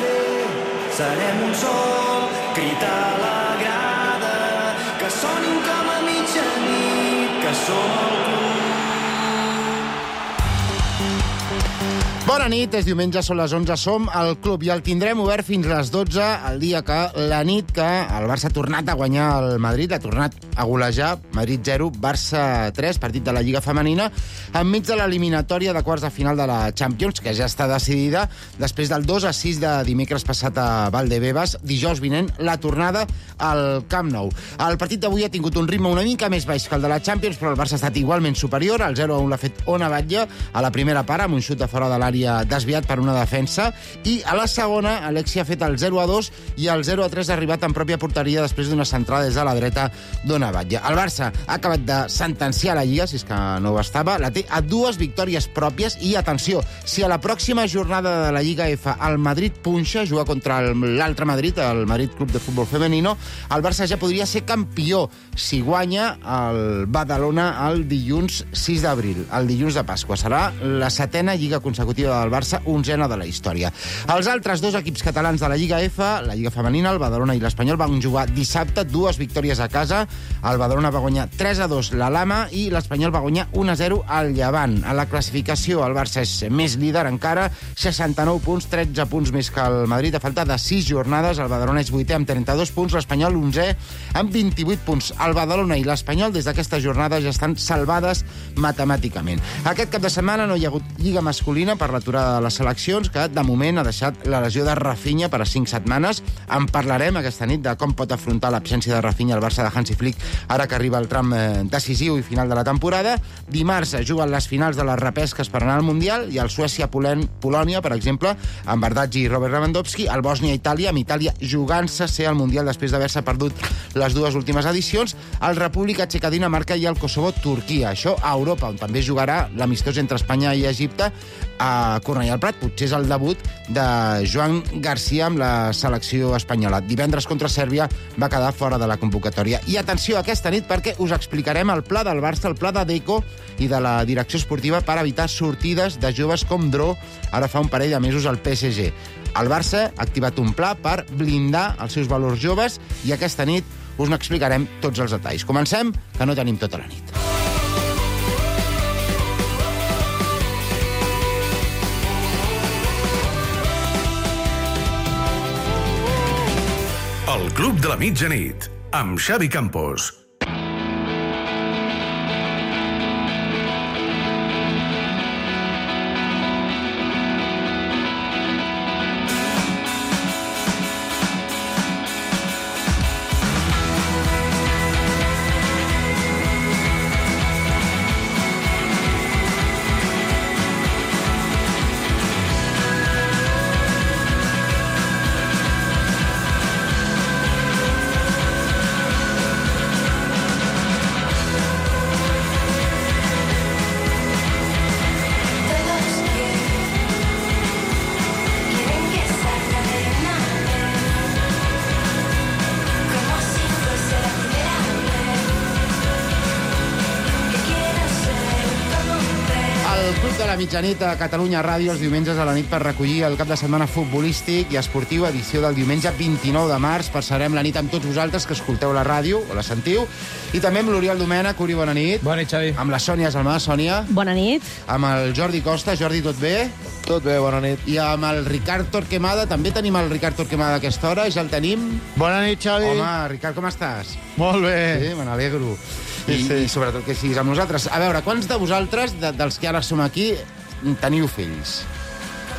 fer. Serem un sol, crit a la grada, que sonin com a mitjanit, que som el club. Bona nit, és diumenge, són les 11, som al club i el tindrem obert fins a les 12, el dia que, la nit que el Barça ha tornat a guanyar el Madrid, ha tornat a golejar, Madrid 0, Barça 3, partit de la Lliga Femenina, enmig de l'eliminatòria de quarts de final de la Champions, que ja està decidida, després del 2-6 de dimecres passat a Valdebebas, dijous vinent, la tornada al Camp Nou. El partit d'avui ha tingut un ritme una mica més baix que el de la Champions, però el Barça ha estat igualment superior, el 0-1 l'ha fet Ona Batlle a la primera part, amb un xut de fora de l'àrea desviat per una defensa, i a la segona Alexia ha fet el 0-2 i el 0-3 ha arribat en pròpia porteria després d'una centrada des de la dreta d'Ona Batlle. El Barça ha acabat de sentenciar la Lliga, si és que no ho estava, la té a 2 victòries pròpies i, atenció, si a la pròxima jornada de la Lliga F el Madrid punxa, juga contra l'altre Madrid, el Madrid Club de Futbol Femenino, el Barça ja podria ser campió si guanya el Badalona el dilluns 6 d'abril, el dilluns de Pasqua. Serà la 7a Lliga consecutiva del Barça, 11a de la història. Els altres 2 equips catalans de la Lliga F, la Lliga Femenina, el Badalona i l'Espanyol, van jugar dissabte 2 victòries a casa. El Badalona va guanyar 3-2 la Lama i l'Espanyol va guanyar 1-0 al Llevant. A la classificació el Barça és més líder encara, 69 punts, 13 punts més que el Madrid. A falta de 6 jornades, el Badalona és 8è amb 32 punts, l'Espanyol 11è amb 28 punts. El Badalona i l'Espanyol des d'aquesta jornada ja estan salvades matemàticament. Aquest cap de setmana no hi ha hagut Lliga masculina per l'aturada de les seleccions, que de moment ha deixat la lesió de Rafinha per a 5 setmanes. En parlarem aquesta nit de com pot afrontar l'absència de Rafinha al Barça de Hansi Flick ara que arriba el tram decisiu i final de la temporada. Dimarts juguen les finals de les repesques per anar al Mundial i el Suècia-Polònia, per exemple, amb Bardghji i Robert Lewandowski, el Bòsnia-Itàlia, amb Itàlia jugant-se ser al Mundial després d'haver-se perdut les 2 últimes edicions, el República Txeca-Dinamarca i el Kosovo-Turquia. Això a Europa, on també jugarà l'amistós entre Espanya i Egipte a Cornellà al Prat. Potser és el debut de Joan Garcia amb la selecció espanyola. Divendres contra Sèrbia va quedar fora de la convocatòria. I atenció aquesta nit perquè us explicarem el pla del Barça, el pla de Deco i de la direcció esportiva per evitar sortides de joves com Dro ara fa un parell de mesos al PSG. El Barça ha activat un pla per blindar els seus valors joves i aquesta nit us n'explicarem tots els detalls. Comencem, que no tenim tota la nit. El Club de la Mitjanit, amb Xavi Campos. La mitjanit a Catalunya Ràdio els diumenges a la nit per recollir el cap de setmana futbolístic i esportiu, edició del diumenge 29 de març. Passarem la nit amb tots vosaltres que escolteu la ràdio o la sentiu. I també amb l'Oriol Domènech. Uri, bona nit. Bona nit, Xavi. Amb la Sònia Salmà. Sònia. Bona nit. Amb el Jordi Costa. Jordi, tot bé? Tot bé, bona nit. I amb el Ricard Torquemada. També tenim el Ricard Torquemada a aquesta hora. Ja el tenim. Bona nit, Xavi. Home, Ricard, com estàs? Molt bé. Sí, me n'alegro. Sí. I sobretot que siguis amb nosaltres. A veure, quants de vosaltres, dels que ara som aquí, teniu fills?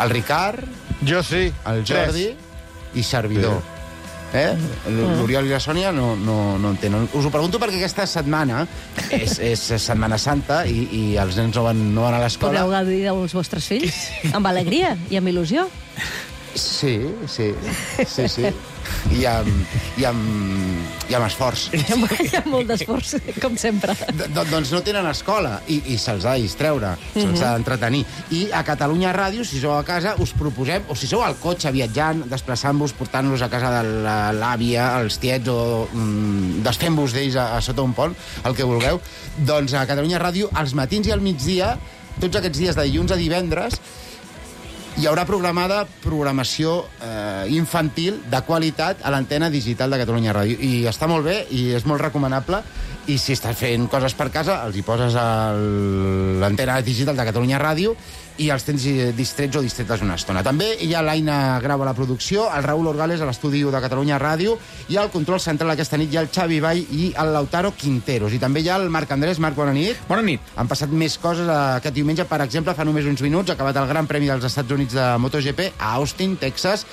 El Ricard, Jo sí. el Jordi i servidor. L'Oriol i la Sònia no en tenen. Us ho pregunto perquè aquesta setmana és Setmana Santa i els nens no van a l'escola. Podeu gaudir dels vostres fills amb alegria i amb il·lusió. Sí. I amb esforç. Hi ha molt d'esforç, com sempre. Doncs no tenen escola i se'ls ha de distreure, se'ls ha d'entretenir. I a Catalunya Ràdio, si sou a casa, us proposem, o si sou al cotxe viatjant, desplaçant-vos, portant-los a casa de l'àvia, els tiets, o desfent-vos d'ells a sota un pont, el que vulgueu, doncs a Catalunya Ràdio, als matins i al migdia, tots aquests dies de dilluns a divendres, Hi haurà programació infantil de qualitat a l'antena digital de Catalunya Ràdio. I està molt bé i és molt recomanable. I si estàs fent coses per casa, els hi poses a l'antena digital de Catalunya Ràdio i els tens distrets o distretes una estona. També hi ha l'Aina Grau a la producció, el Raül Orgales a l'estudi de Catalunya Ràdio i al control central aquesta nit hi ha el Xavi Vall i el Lautaro Quinteros. I també hi ha el Marc Andrés. Marc, bona nit. Bona nit. Han passat més coses aquest diumenge. Per exemple, fa només uns minuts ha acabat el Gran Premi dels Estats Units de MotoGP a Austin, Texas,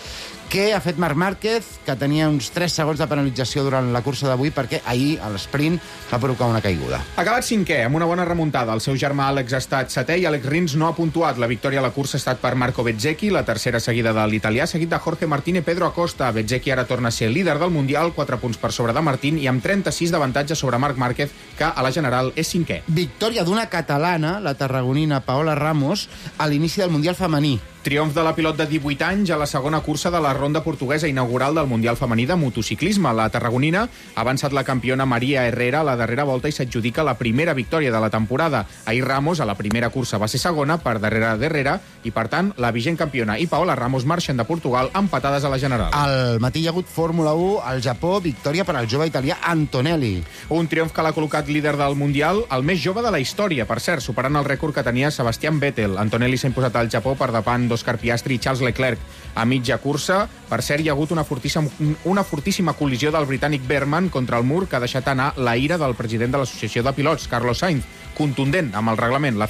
que ha fet Marc Márquez, que tenia uns 3 segons de penalització durant la cursa d'avui perquè ahir a l'esprint va provocar una caiguda. Ha acabat 5è, amb una bona remuntada. El seu germà Àlex ha estat 7è i Àlex Rins no ha puntuat. La victòria a la cursa ha estat per Marco Bezzecchi, la tercera seguida de l'italià, seguit de Jorge Martín i Pedro Acosta. Bezzecchi ara torna a ser líder del Mundial, 4 punts per sobre de Martín i amb 36 d'avantatge sobre Marc Márquez, que a la general és 5è. Victòria d'una catalana, la tarragonina Paola Ramos, a l'inici del Mundial femení. Triomf de la pilot de 18 anys a la segona cursa de la ronda portuguesa inaugural del Mundial femení de motociclisme. La tarragonina ha avançat la campiona Maria Herrera a la darrera volta i s'adjudica la primera victòria de la temporada. Ahir Ramos a la primera cursa va ser segona per darrere d'Herrera i, per tant, la vigent campiona i Paola Ramos marxen de Portugal empatades a la general. Al matí hi ha hagut Fórmula 1 al Japó, victòria per al jove italià Antonelli. Un triomf que l'ha col·locat líder del Mundial, el més jove de la història, per cert, superant el rècord que tenia Sebastian Vettel. Antonelli s'ha imposat al Japó per davant d'Oscar Piastri i Charles Leclerc a mitja cursa. Per cert, hi ha hagut una fortíssima col·lisió del britànic Berman contra el mur que ha deixat anar la ira del president de l'Associació de Pilots, Carlos Sainz, contundent amb el reglament. La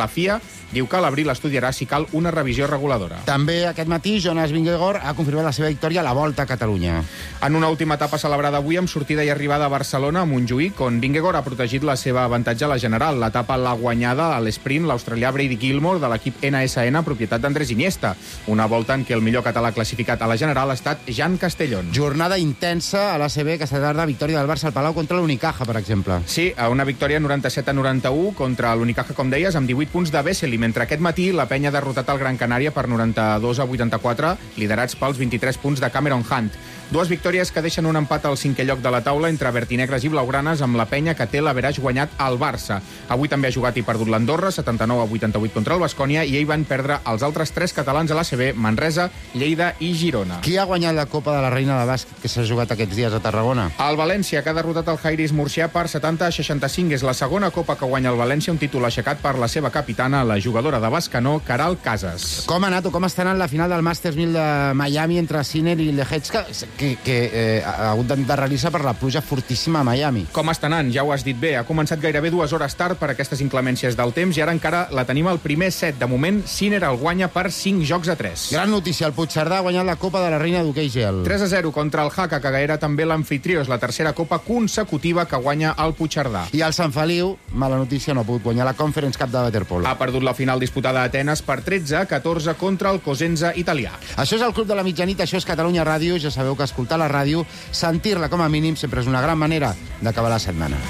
FIA diu que a l'abril estudiarà si cal una revisió reguladora. També aquest matí Jonas Vingegaard ha confirmat la seva victòria a la Volta a Catalunya. En una última etapa celebrada avui amb sortida i arribada a Barcelona, a Montjuïc, on Vingegaard ha protegit la seva avantatge a la general. L'etapa l'ha guanyada a l'esprint l'australià Brady Gilmore de l'equip NSN, propietat d'Andrés Iniesta. Una volta en què el millor català classificat a la general ha estat Jan Castellón. Jornada intensa a l'ACB, aquesta tarda, victòria del Barça al Palau contra l'Unicaja, per exemple. Sí, una victòria 97-91 contra l'Unicaja, com deies, amb 18 punts de Vesely, mentre aquest matí la penya ha derrotat el Gran Canària per 92-84, liderats pels 23 punts de Cameron Hunt. Dues victòries que deixen un empat al 5è lloc de la taula entre vertinegres i blaugranes, amb la penya que té l'averaix guanyat al Barça. Avui també ha jugat i perdut l'Andorra, 79-88 contra el Baskonia, i ahir van perdre els altres 3 catalans a l'ACB, Manresa, Lleida i Girona. Qui ha guanyat la Copa de la Reina de Bàsquet que s'ha jugat aquests dies a Tarragona? El València, que ha derrotat el Jairis Murcià per 70-65. És la segona Copa que guanya el València, un títol aixecat per la seva capitana, la jugadora de Bescanó, Caral Casas. Com ha anat o com està anant la final del Masters 1000 de Miami entre Sinner i Lehecka, que ha hagut d'endarrerir-se per la pluja fortíssima a Miami? Com està anant? Ja ho has dit bé. Ha començat gairebé 2 hores tard per aquestes inclemències del temps i ara encara la tenim al primer set. De moment, Sinner el guanya per 5-3. Gran notícia, el Puigcerdà ha guanyat la Copa de la Reina d'hoquei gel. 3-0 contra el Jaca, que era també l'amfitrió. És la tercera Copa consecutiva que guanya el Puigcerdà. I el Sant Feliu, mala notícia, no ha pogut guanyar la Conference Cup de waterpolo. Ha perdut la final disputada a Atenes per 13-14 contra el Cosenza italià. Això és el Club de la Mitjanit, això és Catalunya Ràdio. Ja sabeu que escoltar la ràdio, sentir-la com a mínim, sempre és una gran manera d'acabar la setmana.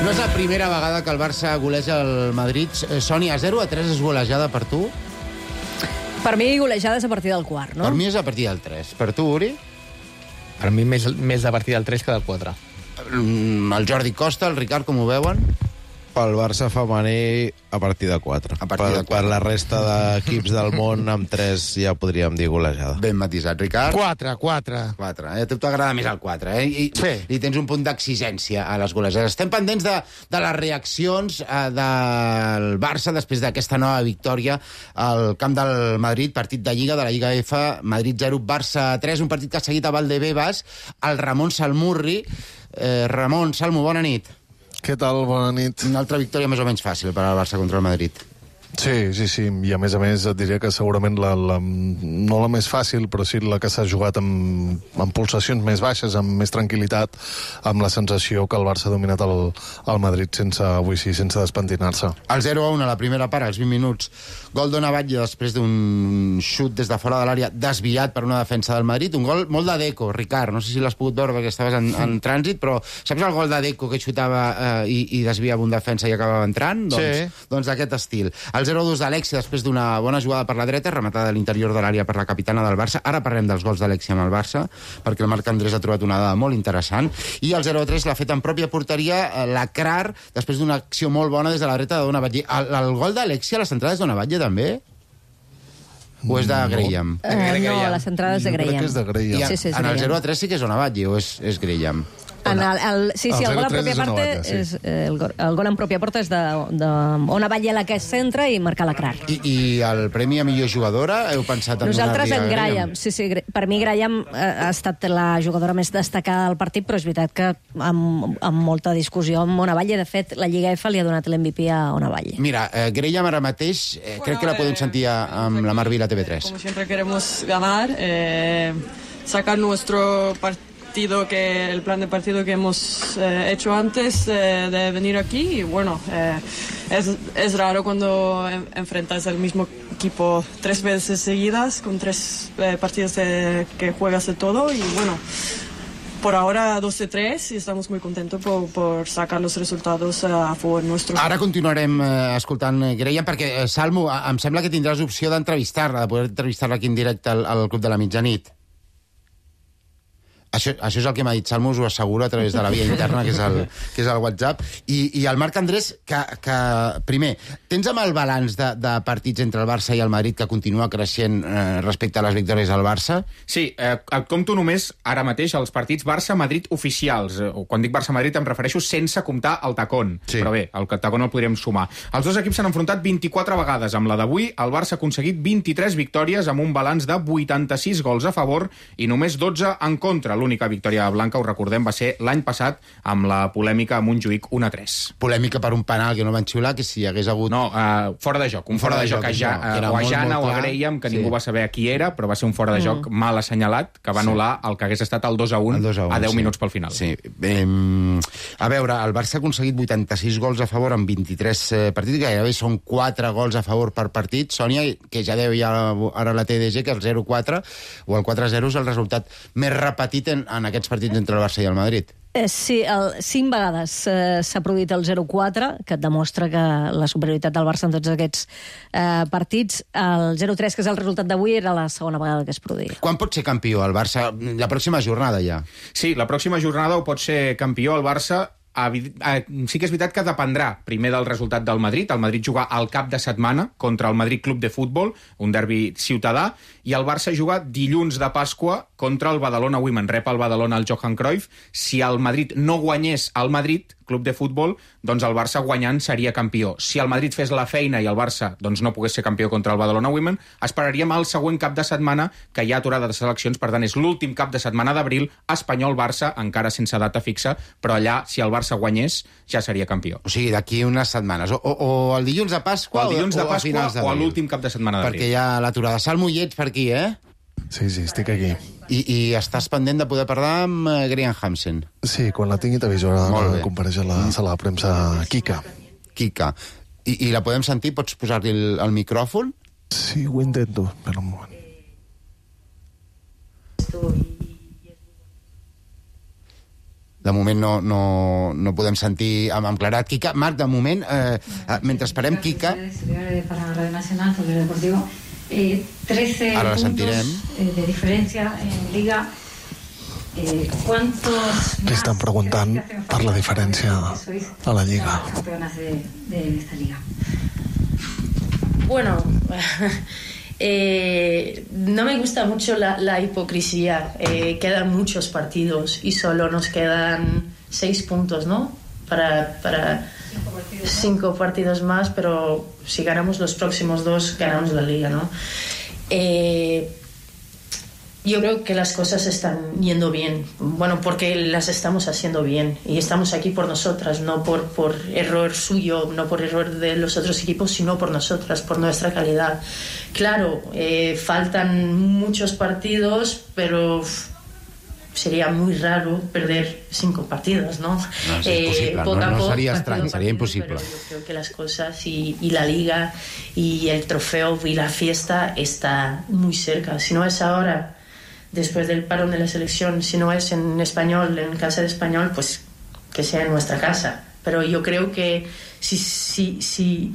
No és la primera vegada que el Barça goleja el Madrid. Sònia, 0-3 és golejada per tu? Per mi, golejades a partir del quart, no? Per mi és a partir del 3. Per tu, Uri? Per mi més a partir del 3 que del 4. El Jordi Costa, el Ricard, com ho veuen? Pel Barça femení a partir de 4. A partir de 4. Per la resta d'equips del món, amb 3 ja podríem dir golejada. Ben matisat, Ricard. 4. 4. A tu t'agrada més el 4, eh? Sí. I tens un punt d'exigència a les golejades. Estem pendents de les reaccions del Barça després d'aquesta nova victòria al camp del Madrid, partit de Lliga, de la Lliga F, Madrid 0, Barça 3, un partit que ha seguit a Valdebebas, el Ramon Salmurri. Ramon, Salmo, bona nit. Què tal? Bona nit. Una altra victòria més o menys fàcil per al Barça contra el Madrid. Sí, i a més et diria que segurament no la més fàcil, però sí la que s'ha jugat amb pulsacions més baixes, amb més tranquil·litat, amb la sensació que el Barça ha dominat el Madrid sense despentinar-se. El 0-1 a la primera part, als 20 minuts, gol d'Ona Batlle després d'un xut des de fora de l'àrea desviat per una defensa del Madrid, un gol molt de Deco, Ricard, no sé si l'has pogut veure perquè estaves en trànsit, però saps el gol de Deco que xutava i desviava un defensa i acabava entrant? Doncs d'aquest estil. El 0-2 d'Alexia després d'una bona jugada per la dreta, rematada a l'interior de l'àrea per la capitana del Barça. Ara parlem dels gols d'Alexia amb el Barça, perquè el Marc Andrés ha trobat una dada molt interessant. I el 0-3 l'ha fet en pròpia porteria la Krar, després d'una acció molt bona des de la dreta de Dona Batlle. El gol d'Alexia, la centrada és Dona Batlle també? O és de Graham? No, la centrada és de Graham. Crec que és de Graham. Sí, en el 0-3 sí que és Dona Batlle, o és Graham? El gol en pròpia porta el gol en pròpia porta és d'Ona Batlle, la que es centra, i marcar la Krar. I el premi a millor jugadora heu pensat en nosaltres donar-li a Graham? Sí, per mi Graham ha estat la jugadora més destacada del partit, però és veritat que amb molta discussió amb Ona Batlle. De fet, la Lliga F li ha donat l'MVP a Ona Batlle. Mira, Graham ara mateix crec que la podem sentir amb la Mar Vila TV3. Como siempre queremos ganar, sacar nuestro partido, el plan de partido que hemos hecho antes de venir aquí. Y bueno, es raro cuando enfrentas al mismo equipo 3 veces seguidas, con 3 partidos que juegas de todo. Y bueno, por ahora 2-3 y estamos muy contentos por sacar los resultados a favor nuestro. Ara continuarem escoltant Graham, perquè, Salmo, em sembla que tindràs opció d'entrevistar-la, de poder entrevistar-la aquí en directe al Club de la Mitjanit. Això és el que m'ha dit Salmo, us ho asseguro, a través de la via interna, que és el WhatsApp. I el Marc Andrés, que primer, tens amb el balanç de partits entre el Barça i el Madrid que continua creixent respecte a les victòries del Barça? Sí, et compto només ara mateix els partits Barça-Madrid oficials. Quan dic Barça-Madrid em refereixo sense comptar el tacón. Sí. Però bé, el tacón el podríem sumar. Els dos equips s'han enfrontat 24 vegades. Amb la d'avui, el Barça ha aconseguit 23 victòries amb un balanç de 86 gols a favor i només 12 en contra. L'única victòria blanca, ho recordem, va ser l'any passat amb la polèmica a Montjuïc 1-3. Polèmica per un penal que no van xiular, que si hi hagués hagut... No, fora de joc. Un fora de joc a Jana o a Graham, que ningú va saber a qui era, però va ser un fora de joc mal assenyalat, que va anul·lar el que hagués estat el 2-1 a 10 minuts pel final. Sí. A veure, el Barça ha aconseguit 86 gols a favor en 23 partits, gairebé són 4 gols a favor per partit. Sònia, que ja deu ara la TDG, que el 0-4 o el 4-0 és el resultat més repetit en aquests partits entre el Barça i el Madrid. Sí, 5 vegades s'ha produït el 0-4, que et demostra que la superioritat del Barça en tots aquests partits. El 0-3, que és el resultat d'avui, era la segona vegada que es produïa. Quan pot ser campió el Barça? La pròxima jornada ja. Sí, la pròxima jornada ho pot ser campió el Barça. Sí que és veritat que dependrà primer del resultat del Madrid. El Madrid juga al cap de setmana contra el Madrid Club de Futbol, un derbi ciutadà, i el Barça juga dilluns de Pasqua contra el Badalona Women. Rep el Badalona al Johan Cruyff. Si el Madrid no guanyés al Madrid Club de Futbol, doncs el Barça guanyant seria campió. Si el Madrid fes la feina i el Barça doncs no pogués ser campió contra el Badalona Women, esperaríem el següent cap de setmana, que hi ha aturada de seleccions, per tant és l'últim cap de setmana d'abril, Espanyol-Barça, encara sense data fixa, però allà, si el Barça guanyés, ja seria campió. O sigui, d'aquí unes setmanes. O el dilluns de Pasqua o a finals d'abril. O a l'últim cap de setmana d'abril. Perquè hi ha l'aturada. Salmo, hi ets per aquí, eh? Sí, estic aquí. I estàs pendent de poder parlar amb Graham Hansen? Sí, quan la tingui t'aviso. Ara compareix a la sala de premsa Kika. I la podem sentir? Pots posar-li el micròfon? Sí, ho intento. Espera un moment. De moment no podem sentir amb claredat Kika. Marc, de moment, mentre esperem Kika... Para Radio Nacional, sobre el Deportivo, 13 puntos de diferència en Liga. ¿Cuántos li estan preguntant per la diferència a la Lliga? Campeonas de esta Liga. Bueno, no me gusta mucho la hipocresía. Quedan muchos partidos y solo nos quedan 6 puntos, ¿no? Para 5 partidos más, pero si ganamos los próximos 2, ganamos la Liga, ¿no? yo creo que las cosas están yendo bien. Bueno, porque las estamos haciendo bien. Y estamos aquí por nosotras, no por error suyo, no por error de los otros equipos, sino por nosotras, por nuestra calidad. Claro, faltan muchos partidos, pero sería muy raro perder 5 partidos, ¿no? No, es imposible, no sería extraño, sería imposible. Pero yo creo que las cosas y la liga y el trofeo y la fiesta está muy cerca. Si no es ahora, después del parón de la selección, si no es en Español, en casa de Español, pues que sea en nuestra casa. Pero yo creo que si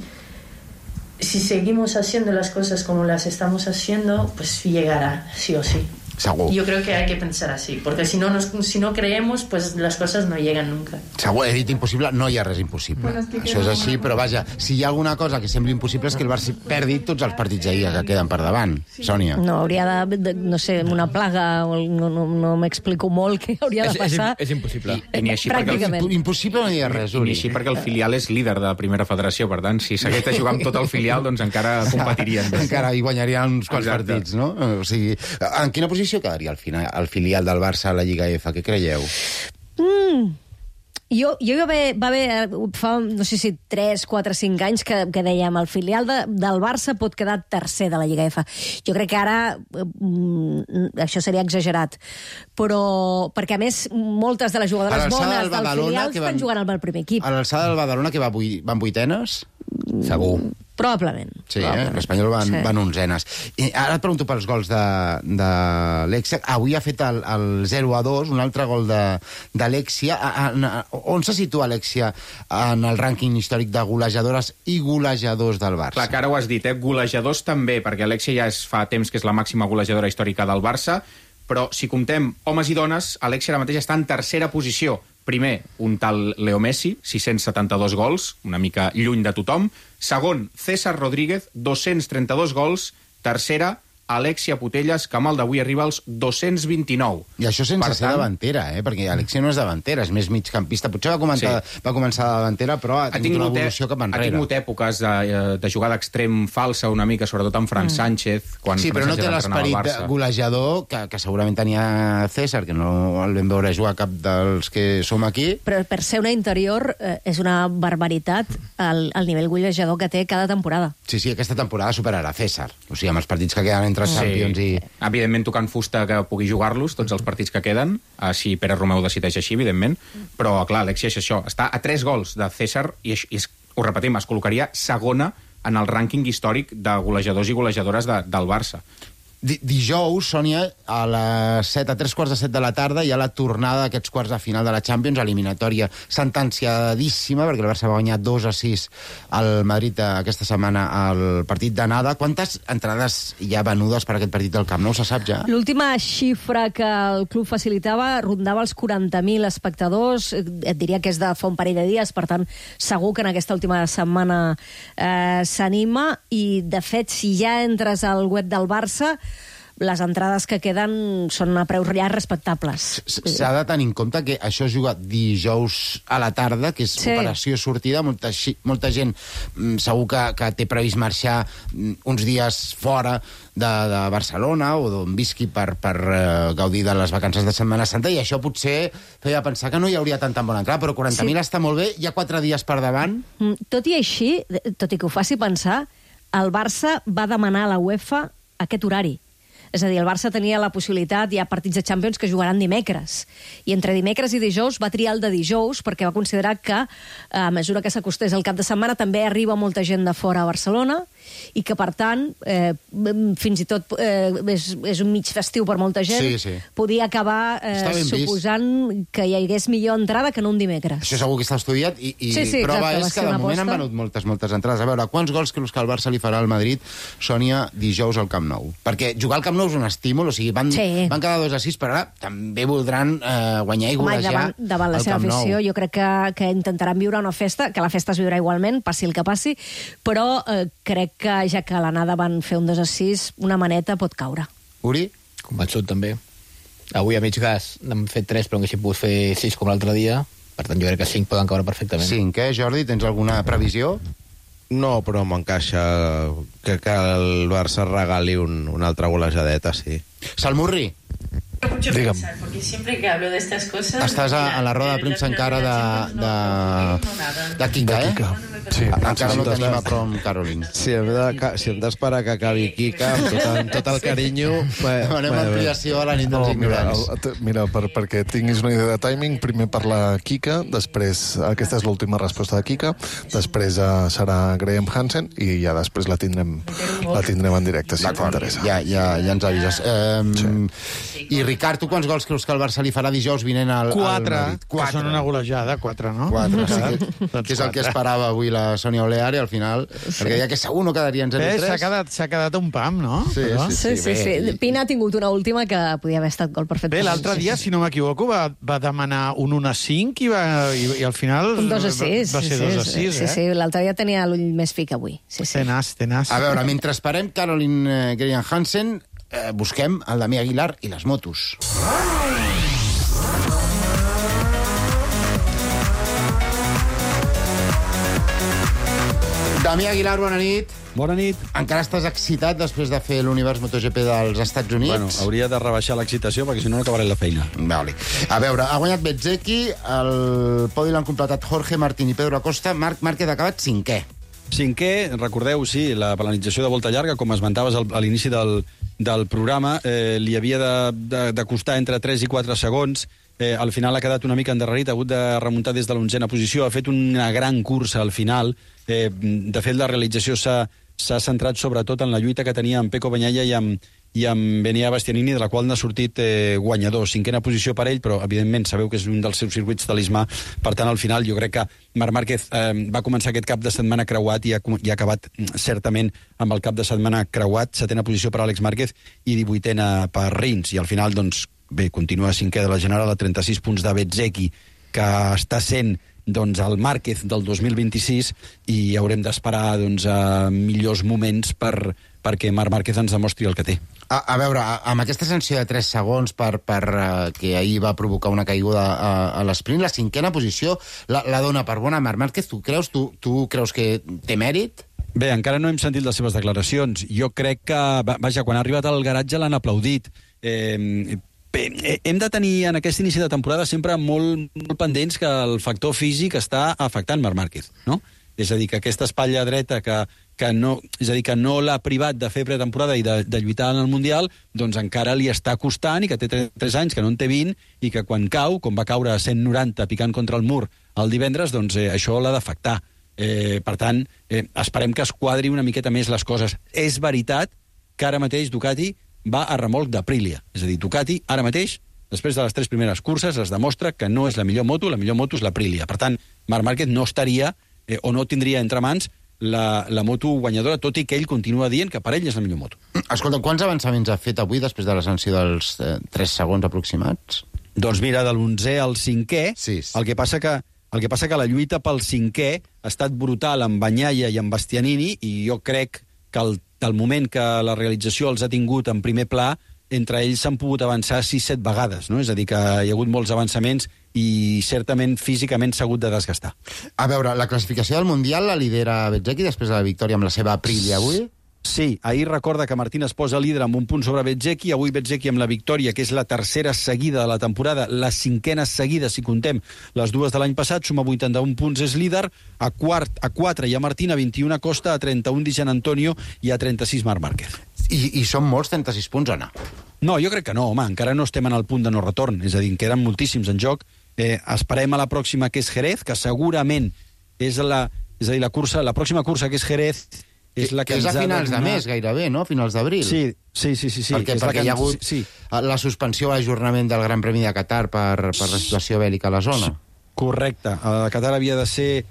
seguimos haciendo las cosas como las estamos haciendo, pues llegará, sí o sí. Segur. Jo crec que hay que pensar així, perquè si no creemos, pues las cosas no llegan nunca. Segur, he dit impossible, no hi ha res impossible. Bueno, es que això és així, però vaja, si hi ha alguna cosa que sembli impossible és que el Barça perdi tots els partits d'ahir que queden per davant. Sí. Sònia. No, hauria de, no sé, una plaga, no m'explico molt què hauria de passar. És impossible. I ni així Pràcticament. Impossible no hi ha res, Ni així perquè el filial és líder de la primera federació, per tant, si s'hagués de jugar amb tot el filial, doncs encara competirien. Encara hi guanyarien uns quants partits, no? O sigui, en quina posició quedaria al final el filial del Barça a la Lliga F? Què creieu? Jo va haver fa, no sé si 3, 4, 5 anys que dèiem el filial del Barça pot quedar tercer de la Lliga F. Jo crec que ara això seria exagerat, però perquè a més moltes de les jugadores bones del filial estan jugant al primer equip. A l'alçada del Badalona que van vuitenes? Segur. Probablement. Sí, l'Espanyol van onzenes. I ara et pregunto pels gols de Alexia. Avui ha fet el 0-2, un altre gol d'Alexia. On se situa Alexia en el rànquing històric de golejadores i golejadors del Barça? Clar, que ara ho has dit, golejadors també, perquè Alexia ja fa temps que és la màxima golejadora històrica del Barça, però si comptem homes i dones, Alexia ara mateix està en tercera posició. Primer, un tal Leo Messi, 672 gols, una mica lluny de tothom. Segon, César Rodríguez, 232 gols. Tercera, Alexia Putellas, que amb el d'avui arriba als 229. I això sense ser davantera, perquè Alexia no és davantera, és més migcampista. Potser va començar de davantera, però ha tingut una evolució cap enrere. Ha tingut èpoques de jugar d'extrem falsa una mica, sobretot amb Fran Sánchez. Sí, però no té l'esperit golejador que segurament tenia César, que no el vam veure jugar cap dels que som aquí. Però per ser una interior és una barbaritat el nivell golejador que té cada temporada. Sí, aquesta temporada superarà César. O sigui, amb els partits que queden entre Champions i... Evidentment tocant fusta que pugui jugar-los, tots els partits que queden, si Pere Romeu decideix així, evidentment, però clar, Alexia és això, està a 3 gols de César i ho repetim, es col·locaria segona en el rànquing històric de golejadors i golejadores del Barça. Dijous, Sònia, a les 7, a 3:15 de la tarda, hi ha la tornada d'aquests quarts de final de la Champions, eliminatòria sentenciadíssima, perquè el Barça va guanyar 2-6 al Madrid aquesta setmana al partit d'anada. Quantes entrades hi ha venudes per aquest partit del Camp Nou, se sap ja? L'última xifra que el club facilitava rondava els 40.000 espectadors, et diria que és de fa un parell de dies, per tant, segur que en aquesta última setmana s'anima, i de fet, si ja entres al web del Barça, les entrades que queden són a preus ja respectables. S'ha de tenir en compte que això es juga dijous a la tarda, que és operació sortida. Molta gent segur que té previst marxar uns dies fora de Barcelona o d'on visqui per gaudir de les vacances de Setmana Santa, i això potser feia pensar que no hi hauria tanta bona entrada, però 40.000 està molt bé, hi ha 4 dies per davant. Tot i així, tot i que ho faci pensar, el Barça va demanar a la UEFA aquest horari. És a dir, el Barça tenia la possibilitat, hi ha partits de Champions que jugaran dimecres, i entre dimecres i dijous va triar el de dijous perquè va considerar que a mesura que s'acostés el cap de setmana també arriba molta gent de fora a Barcelona, i que per tant fins i tot és un mig festiu per molta gent, podia acabar suposant que hi hagués millor entrada que no un dimecres. Això segur que està estudiat, i prova és que de moment han venut moltes entrades. A veure, quants gols creus que el Barça li farà al Madrid, Sònia, dijous al Camp Nou? Perquè jugar al Camp Nou és un estímul, o sigui, van quedar 2-6, però ara també voldran guanyar i golejar davant la seva afició. Jo crec que intentaran viure una festa, que la festa es viurà igualment, passi el que passi, però crec que ja que a l'anada van fer un 2-6, una maneta pot caure. Uri? Convençut, també. Avui a mig gas n'hem fet 3, però haguéssim pogut fer 6 com l'altre dia. Per tant, jo crec que 5 poden caure perfectament. 5, Jordi? Tens alguna previsió? No, però m'encaixa que el Barça regali una altra golejadeta, sí. Salmurri. Mucho pensar, porque siempre que hablo de estas cosas... Estàs a la roda de premsa encara de Kika, eh? Sí, encara no tenim a prop Caroline. Si hem d'esperar que acabi Kika, amb tot el carinyo... Demanem ampliació a la nit dels ignorants. Mira, perquè tinguis una idea de timing, primer parla Kika, després, aquesta és l'última resposta de Kika, després serà Graham Hansen i ja després la tindrem en directe, si t'interessa. Ja ens avises. I Ricard, tu quants gols creus que el Barça li farà dijous vinent al Madrid? 4, que són una golejada, 4, no? 4, sí, que és el que esperava avui la Sònia Oleari, al final, perquè deia que segur no quedaria en 0-3. S'ha quedat un pam, no? Sí. Pina ha tingut una última que podia haver estat gol perfecte. Bé, l'altre dia, si no m'equivoco, va demanar un 1-5 i al final un 2-6. Va ser 2-6, Sí, l'altre dia tenia l'ull més fi que avui. Té nas. A veure, mentre esperem Caroline Graham Hansen, busquem el Damià Aguilar i les motos. Damià Aguilar, bona nit. Bona nit. Encara estàs excitat després de fer l'univers MotoGP dels Estats Units? Bueno, hauria de rebaixar l'excitació perquè si no acabaré la feina. Vale. A veure, ha guanyat Bezzecchi, el podi l'han completat Jorge Martín i Pedro Acosta, Marc Márquez ha acabat 5è. 5è, recordeu, sí, la penalització de volta llarga, com esmentaves a l'inici del programa, li havia de costar entre 3 i 4 segons. Al final ha quedat una mica endarrerit, ha hagut de remuntar des de l'11a posició, ha fet una gran cursa al final. De fet, la realització s'ha centrat sobretot en la lluita que tenia amb Pecco Bagnaia i amb Enea Bastianini, de la qual n'ha sortit guanyador. 5a posició per ell, però evidentment sabeu que és un dels seus circuits talismà. Per tant, al final, jo crec que Marc Márquez va començar aquest cap de setmana creuat i ha acabat certament amb el cap de setmana creuat. 7a posició per Àlex Márquez i 18a per Rins. I al final, doncs, bé, continua 5è de la General a 36 punts de Bezzecchi, que està sent doncs, el Márquez del 2026 i haurem d'esperar doncs, millors moments perquè Marc Márquez ens demostri el que té. A veure, amb aquesta sanció de 3 segons que ahir va provocar una caiguda a l'esprint, la 5a posició la dona per bona Marc Márquez. Tu creus que té mèrit? Bé, encara no hem sentit les seves declaracions. Jo crec que, vaja, quan ha arribat al garatge l'han aplaudit. Hem de tenir en aquest inici de temporada sempre molt pendents que el factor físic està afectant Marc Márquez, no? És a dir, que aquesta espatlla dreta que no l'ha privat de fer pretemporada i de lluitar en el Mundial, doncs encara li està costant i que té 3 anys, que no en té 20, i que quan cau, com va caure a 190 picant contra el mur el divendres, doncs això l'ha d'afectar. Per tant, esperem que es quadri una miqueta més les coses. És veritat que ara mateix Ducati va a remolc d'Aprilia. És a dir, Ducati, ara mateix, després de les 3 primeres curses, es demostra que no és la millor moto és l'Aprilia. Per tant, Marc Márquez no estaria o no tindria entre mans la moto guanyadora, tot i que ell continua dient que per ell és la millor moto. Escolta, quants avançaments ha fet avui després de la sanció dels 3 segons aproximats? Doncs mira, de l'11è al 5è, el que passa que la lluita pel 5è ha estat brutal amb Bagnaia i amb Bastianini, i jo crec que del moment que la realització els ha tingut en primer pla, entre ells s'han pogut avançar 6-7 vegades, no? És a dir, que hi ha hagut molts avançaments i certament físicament s'ha hagut de desgastar. A veure, la classificació del Mundial la lidera Bezzecchi després de la victòria amb la seva Aprilia avui? Sí, ahir recorda que Martín es posa líder amb un punt sobre Bezzecchi, avui Bezzecchi amb la victòria, que és la 3a seguida de la temporada, la 5a seguida, si contem les 2 de l'any passat, suma 81 punts, és líder, a 4 hi ha Martín, a 21 Acosta, a 31 Di Giannantonio i a 36 Marc Márquez. I són molts 36 punts o no? No, jo crec que no, home, encara no estem en el punt de no retorn, és a dir, queden moltíssims en joc. Esperem a la pròxima, que és Jerez, que segurament és la cursa, la pròxima cursa, que és Jerez, és la que és a finals de mes, gairebé, no? Finals d'abril. Sí. Perquè hi ha hagut la suspensió o l'ajornament del Gran Premi de Qatar per la situació bèl·lica a la zona. Correcte. A Qatar havia de ser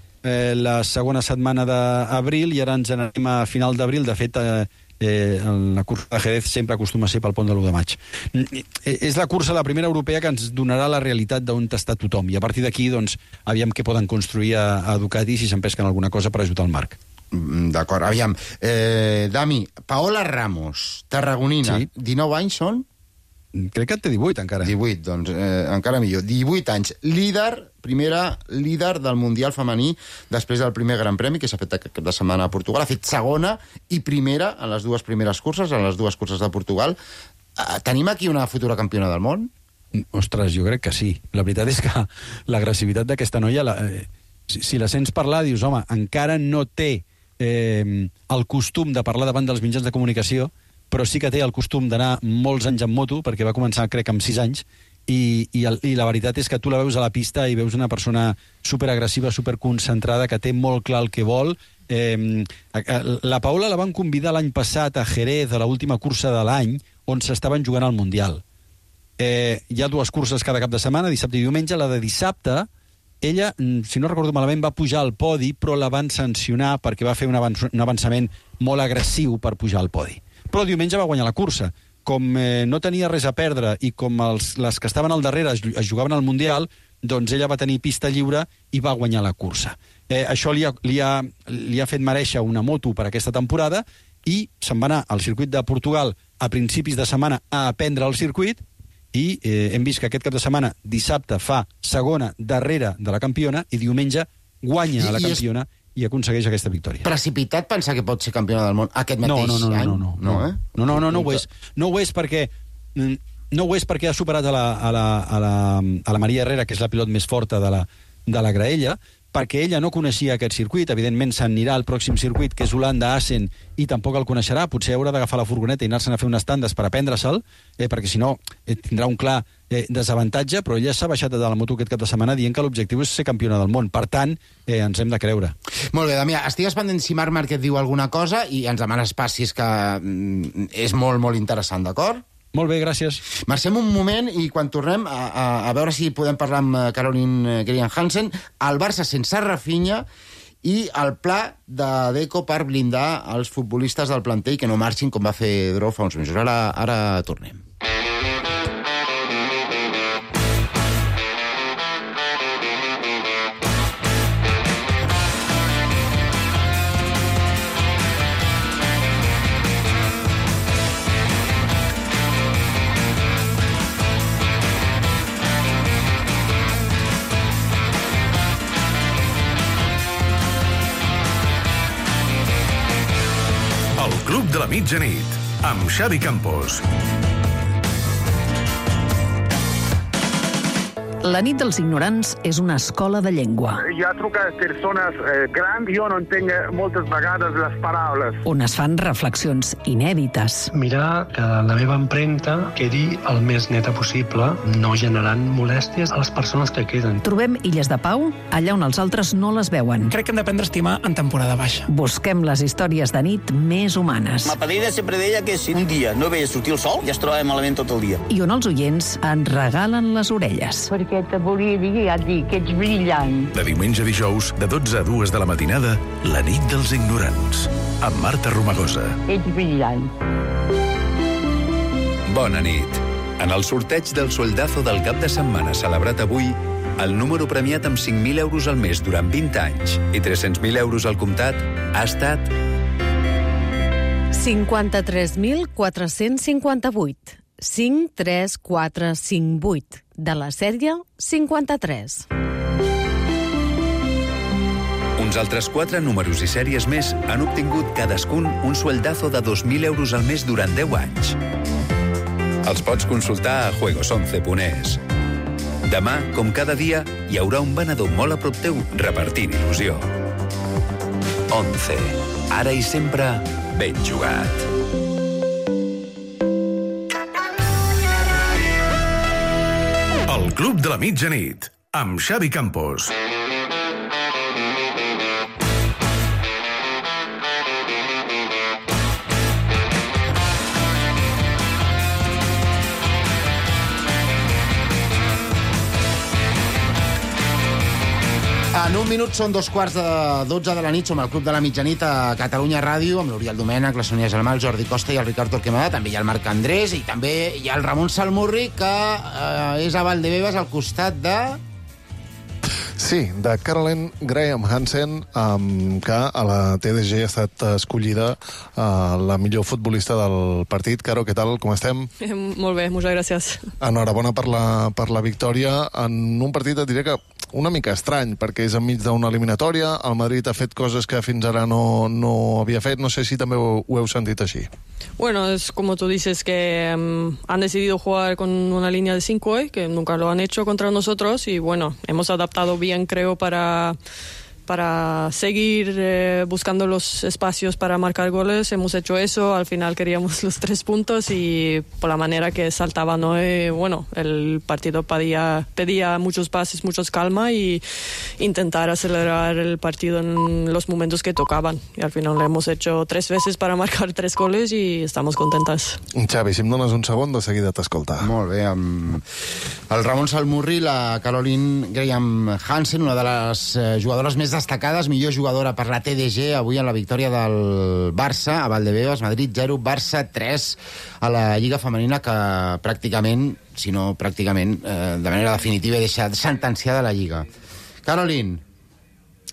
la segona setmana d'abril i ara ens anem a final d'abril. De fet, la cursa de Jerez sempre acostuma a ser pel pont de l'1 de maig. És la cursa, la primera europea, que ens donarà la realitat d'on està tothom. I a partir d'aquí, doncs, aviam què poden construir a Ducati si s'empesquen alguna cosa per ajudar el Marc. D'acord, aviam. Dami, Paola Ramos, tarragonina, 19 anys són? Crec que en té 18, encara. 18, doncs encara millor. 18 anys. Líder del Mundial femení després del primer Gran Premi que s'ha fet aquest cap de setmana a Portugal. Ha fet segona i primera en les dues primeres curses, en les dues curses de Portugal. Tenim aquí una futura campiona del món? Ostres, jo crec que sí. La veritat és que l'agressivitat d'aquesta noia, si la sents parlar, dius, home, encara no té el costum de parlar davant dels mitjans de comunicació, però sí que té el costum d'anar molts anys en moto, perquè va començar, crec, amb 6 anys, i la veritat és que tu la veus a la pista i veus una persona superagressiva, superconcentrada, que té molt clar el que vol. La Paola la van convidar l'any passat a Jerez, a l'última cursa de l'any, on s'estaven jugant al Mundial. Hi ha 2 curses cada cap de setmana, dissabte i diumenge. La de dissabte, ella, si no recordo malament, va pujar al podi, però la van sancionar perquè va fer un avançament molt agressiu per pujar al podi. Però diumenge va guanyar la cursa. Com no tenia res a perdre i com les que estaven al darrere es jugaven al Mundial, doncs ella va tenir pista lliure i va guanyar la cursa. Això li ha fet mereixer una moto per aquesta temporada i se'n va anar al circuit de Portugal a principis de setmana a aprendre el circuit i hem vist que aquest cap de setmana, dissabte, fa segona darrere de la campiona i diumenge guanya la campiona i aconsegueix aquesta victòria. Precipitat pensar que pot ser campiona del món aquest mateix any? No ho és. No ho és perquè ha superat a la Maria Herrera, que és la pilot més forta de la graella, perquè ella no coneixia aquest circuit. Evidentment s'anirà al pròxim circuit, que és Holanda-Assen, i tampoc el coneixerà. Potser haurà d'agafar la furgoneta i anar-se'n a fer unes tandes per aprendre-se'l, perquè si no tindrà un clar desavantatge, però ella s'ha baixat de la moto aquest cap de setmana dient que l'objectiu és ser campiona del món. Per tant, ens hem de creure. Molt bé, Damià, estigues pendent si Marc Márquez diu alguna cosa i ens demanes passis, que és molt, molt interessant, d'acord? Molt bé, gràcies. Marxem un moment i quan tornem a veure si podem parlar amb Caroline Grian-Hansen, el Barça sense Rafinha i el pla de Deco per blindar els futbolistes del planter i que no marxin com va fer Drou fa uns mesos. Ara tornem. Club de la Mitjanit, amb Xavi Campos. La nit dels ignorants és una escola de llengua. Hi ha trucat persones grans, jo no entenc moltes vegades les paraules. On es fan reflexions inèdites. Mirar que la meva empremta quedi el més neta possible, no generant molèsties a les persones que queden. Trobem illes de pau allà on els altres no les veuen. Crec que hem d'aprendre a estimar en temporada baixa. Busquem les històries de nit més humanes. Ma padrina sempre deia que si un dia no veia sortir el sol, ja es trobava malament tot el dia. I on els oients ens regalen les orelles. Perquè te volia dir, ja et dic, que ets brillant. De diumenge a dijous, de 12 a 2 de la matinada, La nit dels ignorants, amb Marta Romagosa. Ets brillant. Bona nit. En el sorteig del Sueldazo del cap de setmana celebrat avui, el número premiat amb 5.000 euros al mes durant 20 anys i 300.000 euros al comptat ha estat 53.458. 53458, de la sèrie 53. Uns altres 4 números i sèries més han obtingut cadascun un sueldazo de 2.000 euros al mes durant 10 anys. Els pots consultar a juegos11.es. Demà, com cada dia, hi haurà un venedor molt a prop teu repartint il·lusió. 11. Ara i sempre, ben jugat. El Club de la Mitjanit, amb Xavi Campos. En un minut són 2:15 de la nit. Som al Club de la Mitjanit a Catalunya Ràdio, amb l'Oriol Domènech, la Sònia Gelmà, el Jordi Costa i el Ricard Torquemada. També hi ha el Marc Andrés i també hi ha el Ramon Salmurri, que és a Valdebebas, al costat de... Sí, de Caroline Graham Hansen, que a la TDG ha estat escollida la millor futbolista del partit. Caro, què tal? Com estem? Molt bé, moltes gràcies. Enhorabona per la victòria en un partit, et diré que una mica estrany, perquè és enmig d'una eliminatòria. El Madrid ha fet coses que fins ara no havia fet. No sé si també ho heu sentit així. Bueno, es como tú dices que han decidido jugar con una línea de 5 hoy, que nunca lo han hecho contra nosotros, y bueno, hemos adaptado bien, creo, para seguir buscando los espacios para marcar goles. Hemos hecho eso, al final queríamos los 3 puntos y por la manera que saltaban hoy, bueno, el partido pedía muchos pases, mucha calma y intentar acelerar el partido en los momentos que tocaban. Y al final lo hemos hecho 3 veces para marcar 3 goles y estamos contentas. Xavi, si em dones un segon, de seguida t'escolta. Molt bé. El Ramon Salmurri, la Caroline Graham Hansen, una de les jugadores més destacades, millor jugadora per la TDG, avui en la victòria del Barça a Valdebebas, Madrid 0, Barça 3 a la Lliga Femenina, que pràcticament, si no pràcticament, de manera definitiva, deixa sentenciada la Lliga. Caroline.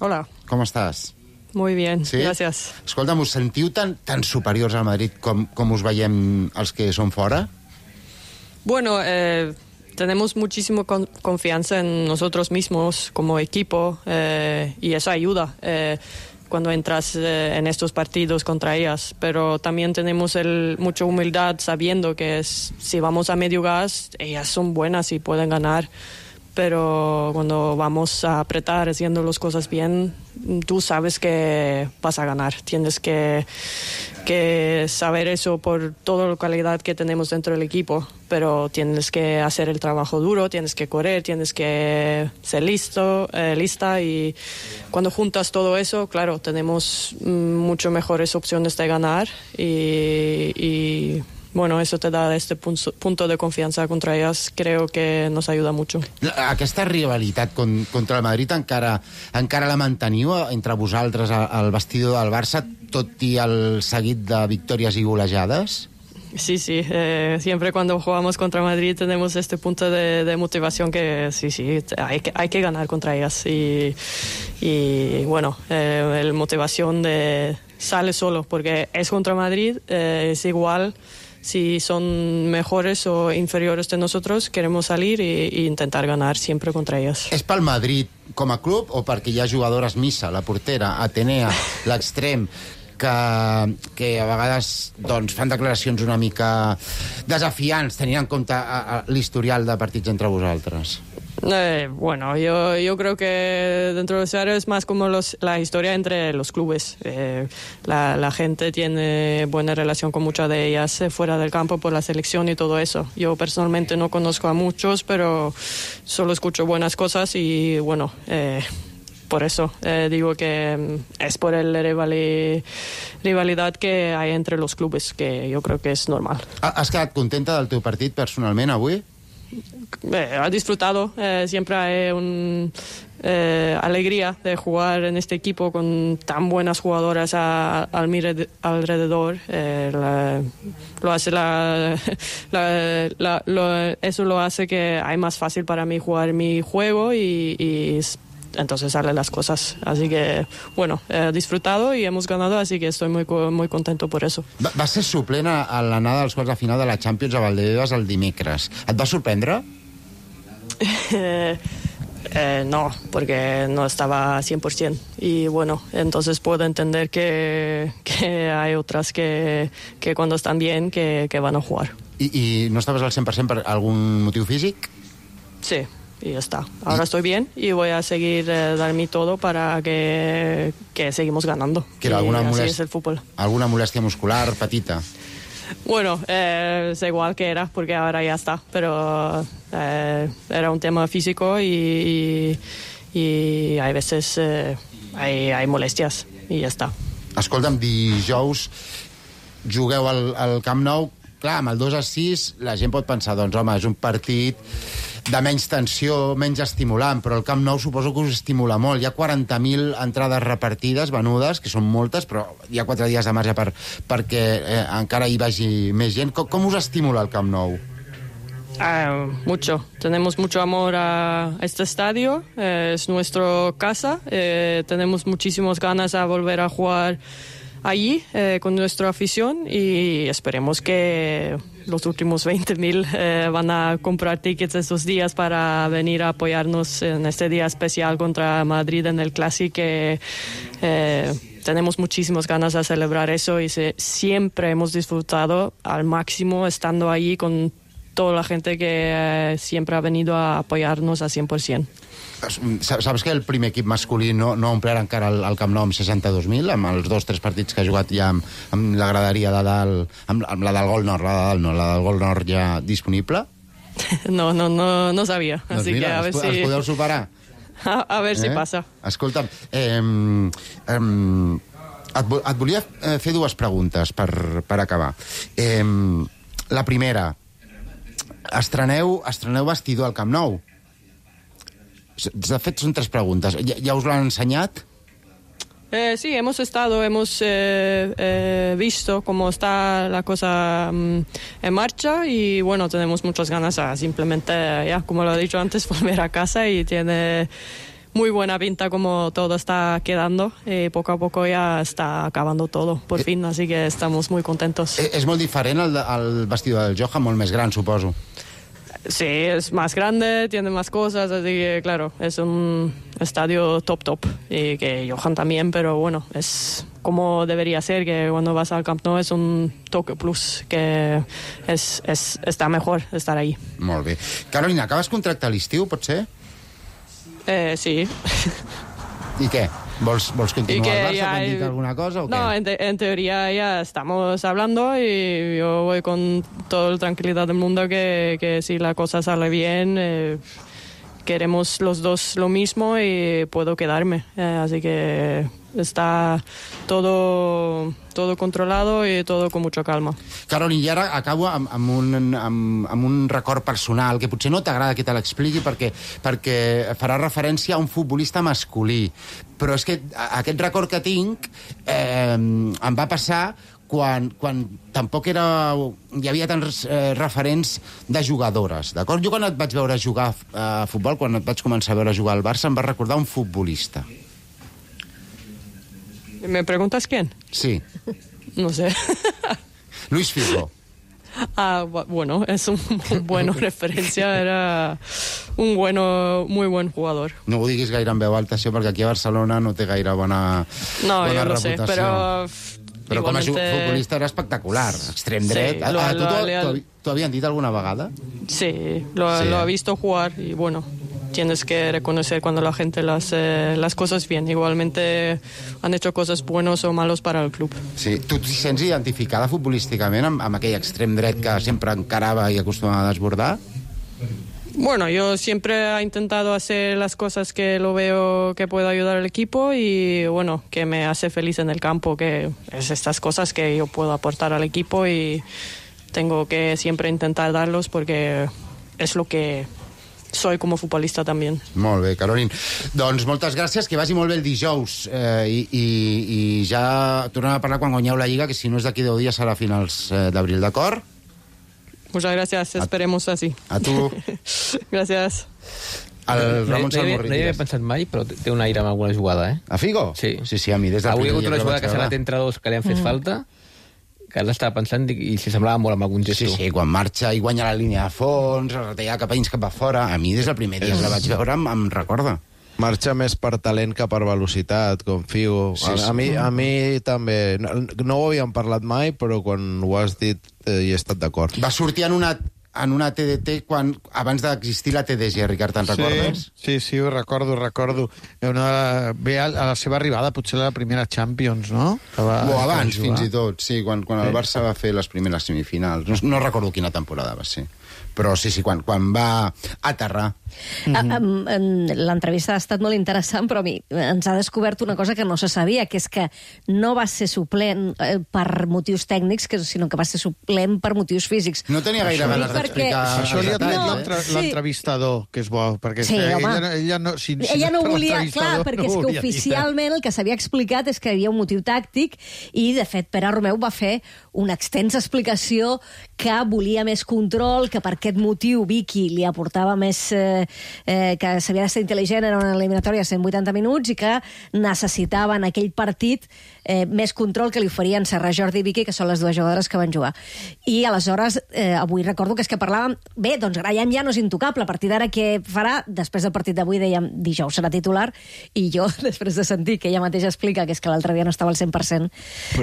Hola. Com estàs? Muy bien, sí? Gracias. Escolta'm, us sentiu tan superiors al Madrid com us veiem els que són fora? Bueno, tenemos muchísima confianza en nosotros mismos como equipo y eso ayuda cuando entras en estos partidos contra ellas, pero también tenemos mucha humildad sabiendo que si vamos a medio gas, ellas son buenas y pueden ganar, pero cuando vamos a apretar haciendo las cosas bien, tú sabes que vas a ganar. Tienes que saber eso por toda la calidad que tenemos dentro del equipo, pero tienes que hacer el trabajo duro, tienes que correr, tienes que ser lista, y cuando juntas todo eso, claro, tenemos mucho mejores opciones de ganar y bueno, eso te da este punto de confianza contra ellas, creo que nos ayuda mucho. Aquesta rivalitat contra el Madrid encara la manteniu entre vosaltres al vestidor del Barça, tot i el seguit de victòries i golejades? Sí, siempre cuando jugamos contra Madrid tenemos este punto de motivación que sí, hay que ganar contra ellas y bueno, la motivación sale solo porque es contra Madrid, es igual. Si son mejores o inferiores de nosotros, queremos salir e intentar ganar siempre contra ellas. És pel Madrid com a club o perquè hi ha jugadores, Missa, la portera, Atenea, l'extrem, que a vegades fan declaracions una mica desafiants, tenint en compte l'historial de partits entre vosaltres? Bueno, yo creo que dentro de Seattle es más como la historia entre los clubes. La gente tiene buena relación con muchas de ellas fuera del campo por la selección y todo eso. Yo personalmente no conozco a muchos, pero solo escucho buenas cosas y bueno, por eso digo que es por la rivalidad que hay entre los clubes, que yo creo que es normal. Has quedat contenta del teu partit personalment avui? Ha disfrutado, siempre hay una alegría de jugar en este equipo con tan buenas jugadoras alrededor. Lo hace eso lo hace que hay más fácil para mí jugar mi juego y entonces salen las cosas. Así que, bueno, he disfrutado y hemos ganado, así que estoy muy contento por eso. Va ser suplent a l'anada als quarts de final de la Champions a Valdebebas el dimecres. Et va sorprendre? No, porque no estaba 100%. Y bueno, entonces puedo entender que hay otras que cuando están bien que van a jugar. ¿Y no estabas al 100% por algún motivo físico? Sí. Y ya está. Ahora estoy bien y voy a seguir dar mi todo para que seguimos ganando. Así es el fútbol. ¿Alguna molestia muscular, patita? Bueno, es igual que era, porque ahora ya está. Pero era un tema físico y hay veces hay molestias y ya está. Escolta'm, dijous jugueu al Camp Nou. Clar, amb el 2-6 la gent pot pensar, doncs home, és un partit de menys tensió, menys estimulant, però el Camp Nou suposo que us estimula molt. Hi ha 40.000 entrades repartides, venudes, que són moltes, però hi ha 4 dies de marge perquè encara hi vagi més gent. Com us estimula el Camp Nou? Mucho. Tenemos mucho amor a este estadio. Es nuestra casa. Tenemos muchísimas ganas a volver a jugar allí con nuestra afición y esperemos que los últimos 20.000 van a comprar tickets estos días para venir a apoyarnos en este día especial contra Madrid en el Clásico. Tenemos muchísimas ganas de celebrar eso y siempre hemos disfrutado al máximo estando allí con toda la gente que siempre ha venido a apoyarnos a 100%. Saps que el primer equip masculí no omplirà encara el Camp Nou amb 62.000, amb els 2-3 partits que ha jugat ja amb la graderia de dalt, amb la del Gol Nord, la del Gol Nord ja disponible? No sabia. Doncs así mira, que a ver els podeu superar. A ver si passa. Escolta'm, et volia fer dues preguntes per acabar. La primera, estreneu vestidor al Camp Nou. De fet, són 3 preguntes. Ja us l'han ensenyat? Sí, hemos visto cómo está la cosa en marcha y bueno, tenemos muchas ganas a simplemente, ya como lo he dicho antes, volver a casa y tiene muy buena pinta como todo está quedando y poco a poco ya está acabando todo, por fin, así que estamos muy contentos. És molt diferent el vestidor del Johan, molt més gran, suposo. Sí, es más grande, tiene más cosas, así que claro, es un estadio top y que Johan también, pero bueno, es como debería ser, que cuando vas al Camp Nou es un toque plus, que está mejor estar ahí. Molt bé. Carolina, acabes contracte a l'estiu, pot ser? Sí. I què? ¿Vols continuar al Barça? ¿Te han dit alguna cosa o qué? No, en teoría ya estamos hablando y yo voy con toda la tranquilidad del mundo que si la cosa sale bien, queremos los dos lo mismo y puedo quedarme. Así que está todo controlado y todo con mucha calma. Carolina, i ara acabo amb un record personal que potser no t'agrada que te l'expliqui perquè farà referència a un futbolista masculí. Però és que aquest record que tinc em va passar quan tampoc hi havia tants referents de jugadores, d'acord? Jo quan et vaig veure jugar a futbol, quan et vaig començar a veure jugar al Barça, em va recordar un futbolista. ¿Me preguntas quién? Sí. No sé. Luis Figo. Bueno, es un buena referencia, era un muy buen jugador. No ho diguis gaire en veu alta, això, perquè aquí a Barcelona no té gaire bona reputació. No, jo no sé, però com a futbolista era espectacular, extrem dret. ¿T'ho havien dit alguna vegada? Sí, lo ha visto jugar y bueno, tienes que reconocer cuando la gente las cosas bien. Igualmente han hecho cosas buenas o malos para el club. Sí. Tu t'hi sents identificada futbolísticament amb aquell extrem dret que sempre encarava i acostumava a desbordar? Bueno, yo siempre he intentado hacer las cosas que lo veo que puedo ayudar al equipo y bueno, que me hace feliz en el campo, que es estas cosas que yo puedo aportar al equipo y tengo que siempre intentar darlos porque es lo que soy como futbolista també. Molt bé, Caroline. Doncs moltes gràcies, que vagi molt bé el dijous i ja tornem a parlar quan guanyeu la Lliga, que si no és d'aquí 10 dies serà a finals d'abril, d'acord? Muchas gracias, esperemos así. A tu. Gracias. El Ramon Salmorri. No hi havia pensat mai, però té un aire amb alguna jugada, eh? A Figo? Sí, a mi des del primer dia que el vaig veure. Avui ha hagut una jugada que se l'ha entre dos que li han fet falta, que ara l'estava pensant i s'hi semblava molt amb algun gesto. Sí, quan marxa i guanya la línia de fons, retalla cap a dins, cap a fora. A mi des del primer dia que la vaig veure em recorda. Marxa més per talent que per velocitat, com Figo. Sí, sí. A mi també. No ho havíem parlat mai, però quan ho has dit hi he estat d'acord. Va sortir en una TDT abans d'existir la TDG, Ricard, te'n recordes? Sí, ho recordo. Ve a la seva arribada, potser la primera Champions, no? O abans, fins i tot, sí, quan el Barça va fer les primeres semifinals. No recordo quina temporada va ser. Però sí, quan va aterrar. L'entrevista ha estat molt interessant, però a mi ens ha descobert una cosa que no se sabia, que és que no va ser suplent per motius tècnics, sinó que va ser suplent per motius físics. No tenia gaire ganes de Això li ha tret l'entrevistador, que és bo, perquè ella no... Ella no volia, clar, perquè és que oficialment el que s'havia explicat és que hi havia un motiu tàctic i, de fet, Pere Romeu va fer una extensa explicació que volia més control, que per aquest motiu Vicky li aportava més... que s'havia de ser intel·ligent, era una eliminatòria de 180 minuts i que necessitava en aquell partit més control que li oferien Serra Jordi i Vicky, que són les dues jugadores que van jugar. I aleshores, avui recordo que és que parlàvem... Bé, doncs Graham ja no és intocable. A partir d'ara què farà? Després del partit d'avui dèiem dijous serà titular i jo, després de sentir que ella mateixa explica que és que l'altre dia no estava al 100%,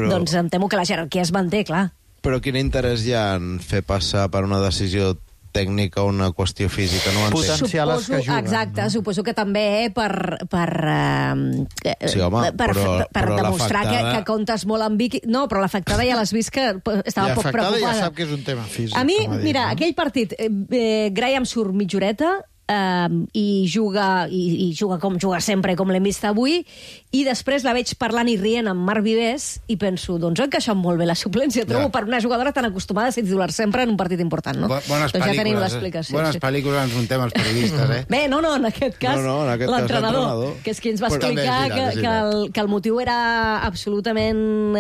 doncs em temo que la jerarquia es manté, clar. Però quin interès hi ha en fer passar per una decisió tècnica o una qüestió física? No potenciar les que juguen. Exacte, no? Suposo que també per demostrar que comptes molt amb Vicky. No, però l'afectada ja l'has vist que estava poc preocupada. L'afectada ja sap que és un tema físic. A mi, mira, aquell partit, Graham surt mitja horeta, i juga com juga sempre, com l'hem vist avui, i després la veig parlant i rient amb Marc Vivers i penso, doncs ha encaixat molt bé la suplència, trobo, per una jugadora tan acostumada a ser titular sempre en un partit important, no? Bones doncs ja tenim l'explicació. Bones pel·lícules ens muntem els periodistes, eh? Bé, no, en aquest cas l'entrenador, que és qui ens va explicar que el motiu era absolutament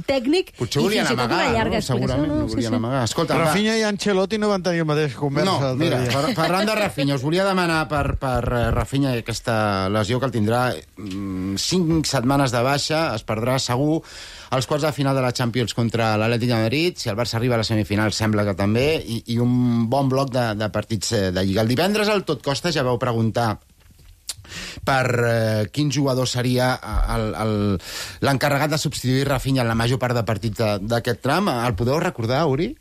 tècnic i fins i tot una llarga explicació. Segurament, no volien amagar. Escolta, Rafinha i Ancelotti no van tenir la mateixa conversa. No, mira, parlant de Rafinha, us volia demanar per Rafinha aquesta lesió que el tindrà 5 setmanes de baixa, es perdrà segur als quarts de final de la Champions contra l'Atlètic de Madrid, si el Barça arriba a la semifinal sembla que també, i un bon bloc de partits de Lliga. El divendres al Tot Costa ja vau preguntar per quin jugador seria l'encarregat de substituir Rafinha en la major part de partits d'aquest tram. El podeu recordar, Uri?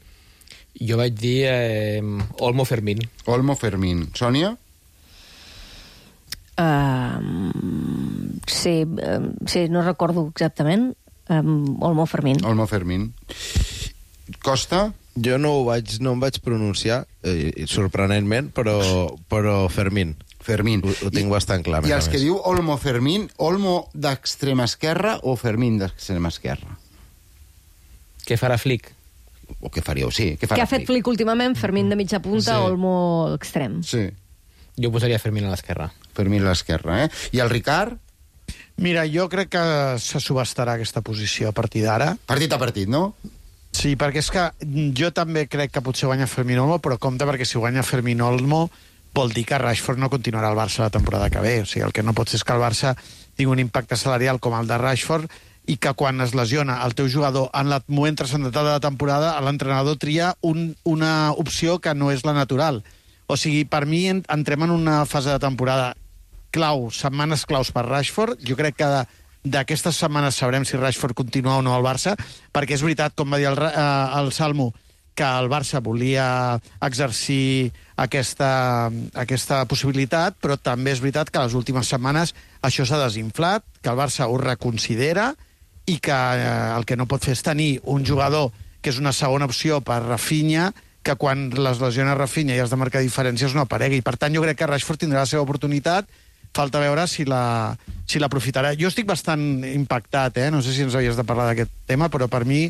Jo vaig dir Olmo Fermín. Olmo Fermín. Sònia? Sí, no recordo exactament. Olmo Fermín. Olmo Fermín. Costa? Jo no em vaig pronunciar, sorprenentment, però Fermín. Fermín. Ho tinc bastant clar. I els que diu Olmo Fermín, Olmo d'extrema esquerra o Fermín d'extrema esquerra? Què farà Flick? O què faríeu, sí. Què ha fet Flick últimament? Fermín de mitja punta, Olmo extrem. Sí. Jo posaria Fermín a l'esquerra. Fermín a l'esquerra, eh? I el Ricard? Mira, jo crec que se subestarà aquesta posició a partir d'ara. Partit a partit, no? Sí, perquè és que jo també crec que potser guanya Fermín Olmo, però compte perquè si guanya Fermín Olmo vol dir que Rashford no continuarà al Barça la temporada que ve. O sigui, el que no pot ser és que el Barça tingui un impacte salarial com el de Rashford i que quan es lesiona el teu jugador en el moment transcendental de la temporada, l'entrenador tria una opció que no és la natural. O sigui, per mi entrem en una fase de temporada clau, setmanes claus per Rashford. Jo crec que d'aquestes setmanes sabrem si Rashford continua o no al Barça, perquè és veritat, com va dir el Salmo, que el Barça volia exercir aquesta possibilitat, però també és veritat que les últimes setmanes això s'ha desinflat, que el Barça ho reconsidera i que el que no pot fer és tenir un jugador que és una segona opció per Rafinha, que quan les lesiona Rafinha i has de marcar diferències no aparegui. Per tant, jo crec que Rashford tindrà la seva oportunitat, falta veure si l'aprofitarà. Jo estic bastant impactat, no sé si ens havies de parlar d'aquest tema, però per mi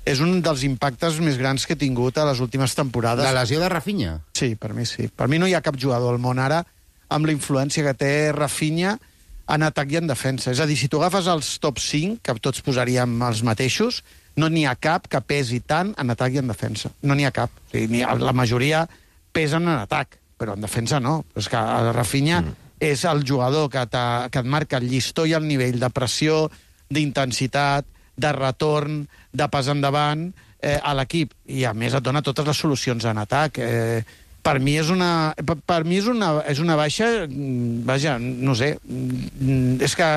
és un dels impactes més grans que he tingut a les últimes temporades. La lesió de Rafinha? Sí, per mi sí. Per mi no hi ha cap jugador al món ara amb la influència que té Rafinha en atac i en defensa. És a dir, si tu agafes els top 5, que tots posaríem els mateixos, no n'hi ha cap que pesi tant en atac i en defensa. No n'hi ha cap. O sigui, la majoria pesen en atac, però en defensa no. És que el Rafinha és el jugador que et marca el llistó i el nivell de pressió, d'intensitat, de retorn, de pas endavant a l'equip. I a més et dona totes les solucions en atac. Per mi és una baixa, vaja, no sé, és que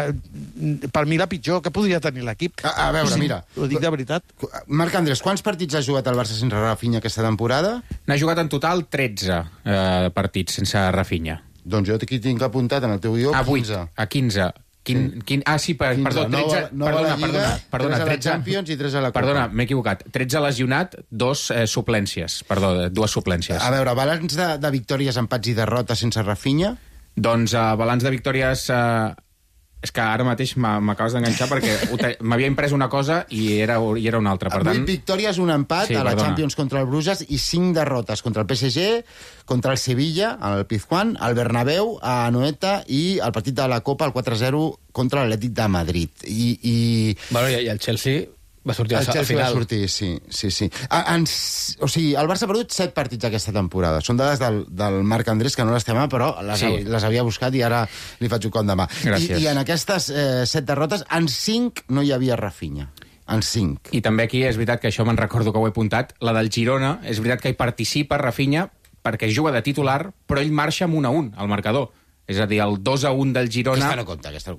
per mi la pitjor que podria tenir l'equip. A veure, mira. Ho dic de veritat. Marc Andrés, quants partits ha jugat el Barça sense Rafinha aquesta temporada? N'ha jugat en total 13 partits sense Rafinha. Doncs jo aquí tinc apuntat en el teu guió 15. A 15. Perdó, 13... Perdona, 13 a la Champions i 3 a la Copa. Perdona, m'he equivocat. 13 lesionat, 2 suplències. Perdó, 2 suplències. A veure, balanç de victòries, empats i derrotes sense Rafinha? Doncs balanç de victòries... És que ara mateix m'acabes d'enganxar perquè m'havia imprès una cosa i era una altra. Per tant... 8 victòries, un empat a la Champions contra el Bruges i 5 derrotes contra el PSG, contra el Sevilla, al Pizjuán, al Bernabéu, a Anoeta i el partit de la Copa, el 4-0 contra l'Atlètic de Madrid. Bueno, i el Chelsea va sortir al final. El Chelsea va sortir, sí. O sigui, el Barça ha perdut 7 partits aquesta temporada. Són dades del Marc Andrés, que no les té mà, però les havia buscat i ara li faig un cop de mà. I en aquestes 7 derrotes, en 5 no hi havia Rafinha. En 5. I també aquí és veritat que això me'n recordo que ho he apuntat. La del Girona, és veritat que hi participa Rafinha perquè juga de titular, però ell marxa amb 1-1 al marcador. És a dir, el 2-1 del Girona... Aquesta no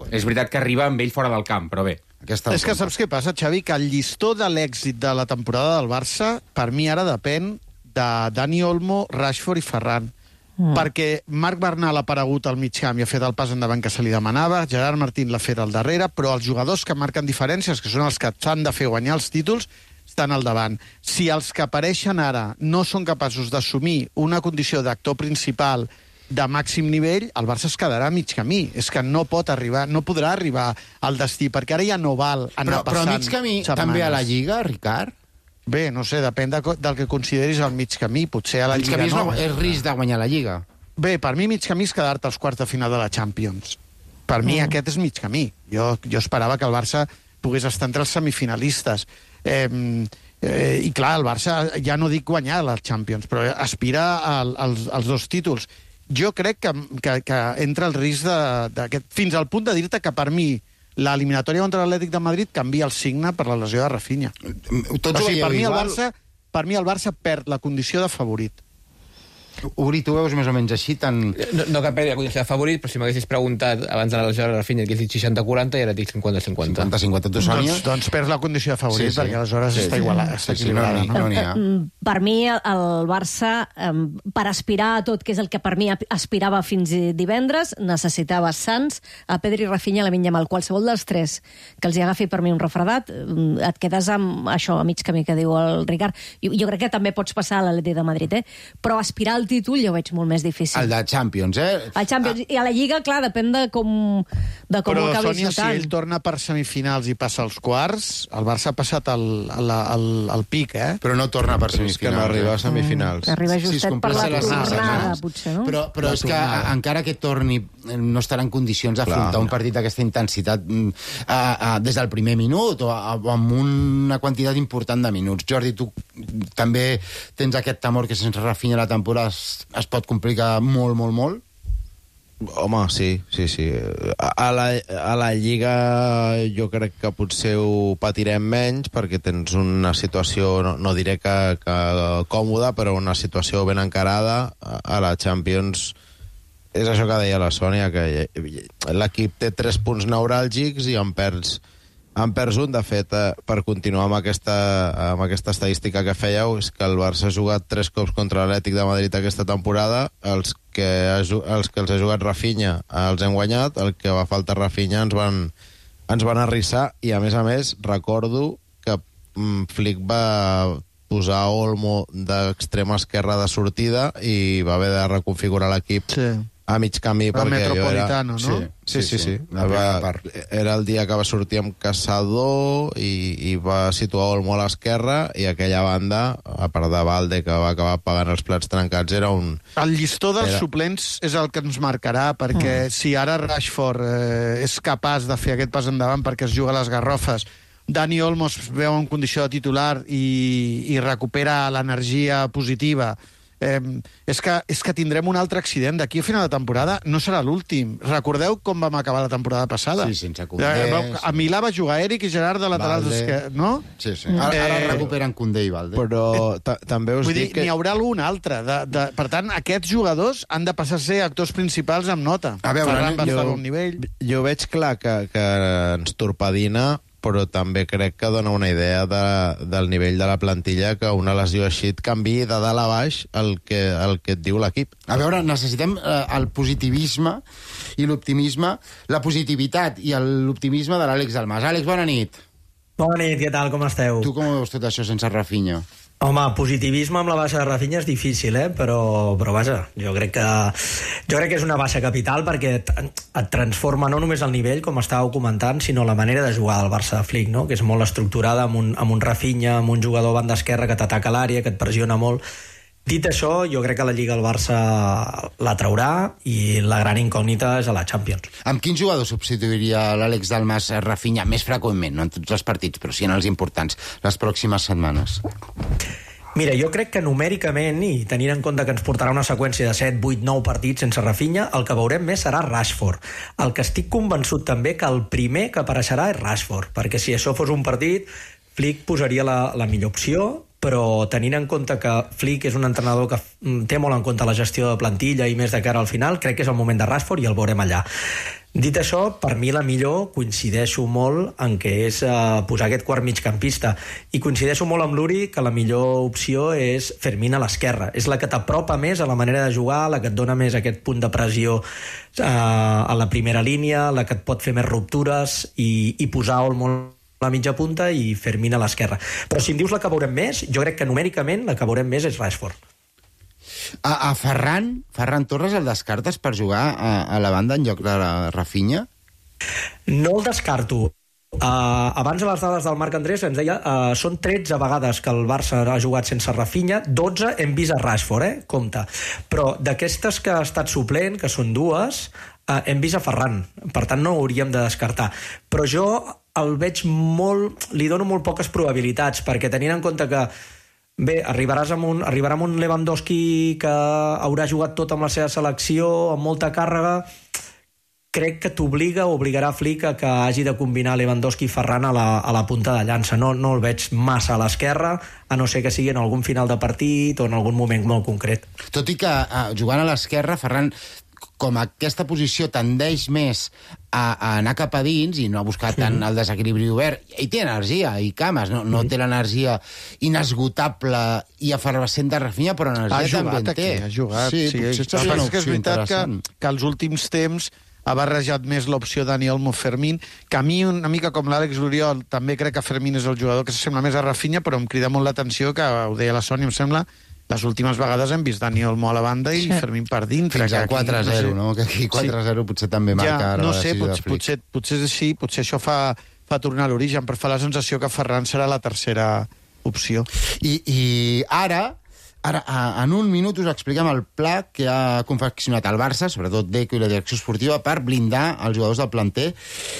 compta. És veritat que arriba amb ell fora del camp, però bé. És que saps què passa, Xavi? Que el llistó de l'èxit de la temporada del Barça, per mi ara depèn de Dani Olmo, Rashford i Ferran. Perquè Marc Bernal ha aparegut al mig camp i ha fet el pas endavant que se li demanava, Gerard Martín l'ha fet al darrere, però els jugadors que marquen diferències, que són els que s'han de fer guanyar els títols, estan al davant. Si els que apareixen ara no són capaços d'assumir una condició d'actor principal de màxim nivell, el Barça es quedarà a mig camí. És que no podrà arribar al destí, perquè ara ja no val anar passant però mig camí setmanes. També a la Lliga, Ricard? Bé, no sé, depèn del que consideris el mig camí. Potser a la Lliga no. És risc de guanyar la Lliga. Bé, per mi mig camí és quedar-te als quarts de final de la Champions. Per mi aquest és mig camí. Jo esperava que el Barça pogués estar entre els semifinalistes. I clar, el Barça, ja no dic guanyar la Champions, però aspira als 2 títols. Jo crec que entra el risc fins al punt de dir-te que per mi l'eliminatòria contra l'Atlètic de Madrid canvia el signe per la lesió de Rafinha. Per mi el Barça perd la condició de favorit. Uri, tu veus més o menys així tan... No que perdi la condició de favorit, però si m'haguessis preguntat abans de la lesió de Rafinha que he dit 60-40 i ara dic 50-50. 50-50, tu, Sònia? Doncs perds la condició de favorit, perquè aleshores està igualada, està equilibrada. No n'hi ha. Per mi, el Barça, per aspirar a tot, que és el que per mi aspirava fins divendres, necessitava Sants, a Pedri, Rafinha, Lamine Yamal. Qualsevol dels 3 que els hi agafi per mi un refredat, et quedes amb això, a mig camí que diu el Ricard. Jo crec que també pots passar a l'Atlètic de Madrid, però aspirar al títol jo ho veig molt més difícil. El de Champions, El Champions. I a la Lliga, clar, depèn de com ho acabis Sònia, notant. si ell torna per semifinals i passa als quarts, el Barça ha passat el pic, Però no torna per semifinals. És que no arriba a semifinals. Arriba justet per la tornada, potser, no? Però és que encara que torni no estarà en condicions d'afrontar un partit d'aquesta intensitat des del primer minut o amb una quantitat important de minuts. Jordi, tu també tens aquest temor que sense Rafinha la temporada es pot complicar molt, molt, molt? Home, sí. A la Lliga jo crec que potser ho patirem menys perquè tens una situació, no diré que còmoda, però una situació ben encarada. A la Champions és això que deia la Sònia, que l'equip té 3 punts neuràlgics i en perds un. De fet, per continuar amb aquesta estadística que fèieu, és que el Barça ha jugat 3 cops contra l'Atlètic de Madrid aquesta temporada. Els que els ha jugat Rafinha els hem guanyat, el que va faltar Rafinha ens van arrissar, i a més recordo que Flick va posar Olmo d'extrema esquerra de sortida i va haver de reconfigurar l'equip a mig camí perquè jo era... no? Sí. Era el dia que va sortir amb Caçador i va situar Olmo a l'esquerra, i aquella banda, a part de Valde, que va acabar pagant els plats trencats, era un... El llistó dels suplents és el que ens marcarà, perquè si ara Rashford és capaç de fer aquest pas endavant perquè es juga a les garrofes, Dani Olmo es veu en condició de titular i recupera l'energia positiva, és que tindrem un altre accident d'aquí a final de temporada. No serà l'últim. Recordeu com vam acabar la temporada passada? Sí, sense Koundé. A Milà va jugar Eric i Gerard de laterals esquerres, no? Sí. Ara recuperen Koundé i Valde. Però també us dic que... N'hi haurà algun altre. Per tant, aquests jugadors han de passar a ser actors principals amb nota. A veure, Ferran va estar a un nivell. Jo veig clar que ens torpedina, però també crec que dona una idea del nivell de la plantilla, que una lesió així et canviï de dalt a baix el que et diu l'equip. A veure, necessitem el positivisme i l'optimisme, la positivitat i l'optimisme de l'Àlex Dalmas. Àlex, bona nit. Bona nit, què tal, com esteu? Tu com ho veus tot això sense Rafinha? Home, positivisme amb la baixa de Rafinha és difícil, però vaja, jo crec que és una baixa capital perquè et transforma no només el nivell, com estàveu comentant, sinó la manera de jugar del Barça de Flick, no? Que és molt estructurada amb un Rafinha, amb un jugador a banda esquerra que t'ataca l'àrea, que et pressiona molt. Dit això, jo crec que la Lliga el Barça la traurà i la gran incògnita és a la Champions. Amb quin jugador substituiria l'Àlex Dalmas Rafinha més freqüentment, no en tots els partits, però sí en els importants, les pròximes setmanes? Mira, jo crec que numèricament, i tenint en compte que ens portarà una seqüència de 7, 8, 9 partits sense Rafinha, el que veurem més serà Rashford. El que estic convençut també que el primer que apareixerà és Rashford, perquè si això fos un partit, Flick posaria la millor opció, però tenint en compte que Flick és un entrenador que té molt en compte la gestió de plantilla i més de cara al final, crec que és el moment de Rashford i el veurem allà. Dit això, per mi la millor coincideixo molt en què és posar aquest quart migcampista, i coincideixo molt amb l'Uri que la millor opció és Fermín a l'esquerra. És la que t'apropa més a la manera de jugar, la que et dona més aquest punt de pressió a la primera línia, la que et pot fer més ruptures i posar Olmo la mitja punta i Fermín a l'esquerra. Però si em dius la que veurem més, jo crec que numèricament la que veurem més és Rashford. A Ferran Torres el descartes per jugar a la banda en lloc de Rafinha? No el descarto. Abans a les dades del Marc Andrés ens deia són 13 vegades que el Barça ha jugat sense Rafinha, 12 hem vist a Rashford, compte. Però d'aquestes que ha estat suplent, que són 2, hem vist a Ferran, per tant no ho hauríem de descartar. Però jo el veig li dono molt poques probabilitats, perquè tenint en compte que arribarà amb un Lewandowski que haurà jugat tot amb la seva selecció, amb molta càrrega, crec que obligarà Flick a que hagi de combinar Lewandowski i Ferran a la punta de llança. No el veig massa a l'esquerra, a no ser que sigui en algun final de partit o en algun moment molt concret. Tot i que jugant a l'esquerra, Ferran, com aquesta posició tendeix més a anar cap a dins i no a buscar tant el desequilibri obert, i té energia i cames, no té l'energia inesgotable i efervescent de Rafinha, però energia també en té. Ha jugat, sí. Potser seria una opció interessant. Que als últims temps ha barrejat més l'opció Dani Olmo Fermín, que a mi, una mica com l'Àlex Loriol, també crec que Fermín és el jugador que s'assembla més a Rafinha, però em crida molt l'atenció, que ho deia la Sònia, em sembla, les últimes vegades hem vist Dani Olmo a la banda i Fermín per dintre. Fins al 4-0, no? Que aquí 4-0 potser també marca ara la decisió de Flick. Potser és així, potser això fa tornar a l'origen, però fa la sensació que Ferran serà la tercera opció. I ara, en un minut us expliquem el pla que ha confeccionat el Barça, sobretot Deco i la direcció esportiva, per blindar els jugadors del planter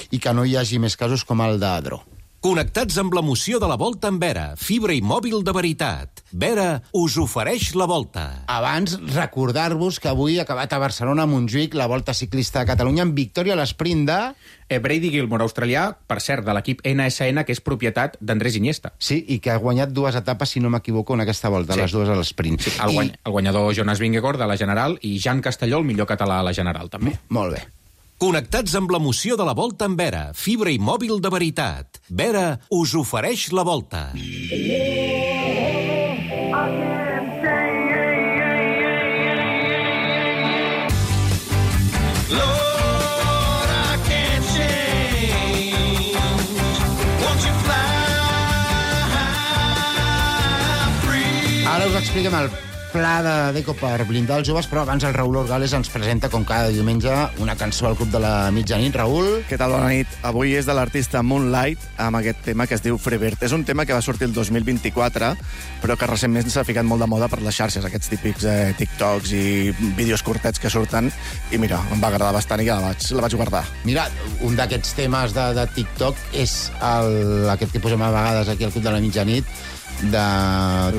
i que no hi hagi més casos com el de Dro. Connectats amb l'emoció de la Volta amb Vera, fibra i mòbil de veritat. Vera us ofereix la Volta. Abans, recordar-vos que avui ha acabat a Barcelona, a Montjuïc, la Volta Ciclista de Catalunya, amb victòria a l'esprint de... Brady Gilmore, australià, per cert, de l'equip NSN, que és propietat d'Andrés Iniesta. Sí, i que ha guanyat 2 etapes, si no m'equivoco, en aquesta volta, les 2 a l'esprint. Sí, el guanyador Jonas Vingegaard, de la General, i Jan Castelló, el millor català a la General, també. Molt bé. Connectats amb l'emoció de la Volta amb Vera, fibra i mòbil de veritat. Vera us ofereix la Volta. Ara us expliquem el pla de Deco per blindar els joves, però abans el Raül Orgales ens presenta, com cada diumenge, una cançó al Club de la Mitjanit. Raül? Què tal, bona nit? Avui és de l'artista Moonlight, amb aquest tema que es diu Freebird. És un tema que va sortir el 2024, però que recentment s'ha ficat molt de moda per les xarxes, aquests típics TikToks i vídeos curtets que surten, i mira, em va agradar bastant i la vaig guardar. Mira, un d'aquests temes de TikTok és aquest que posem a vegades aquí al Club de la Mitjanit, de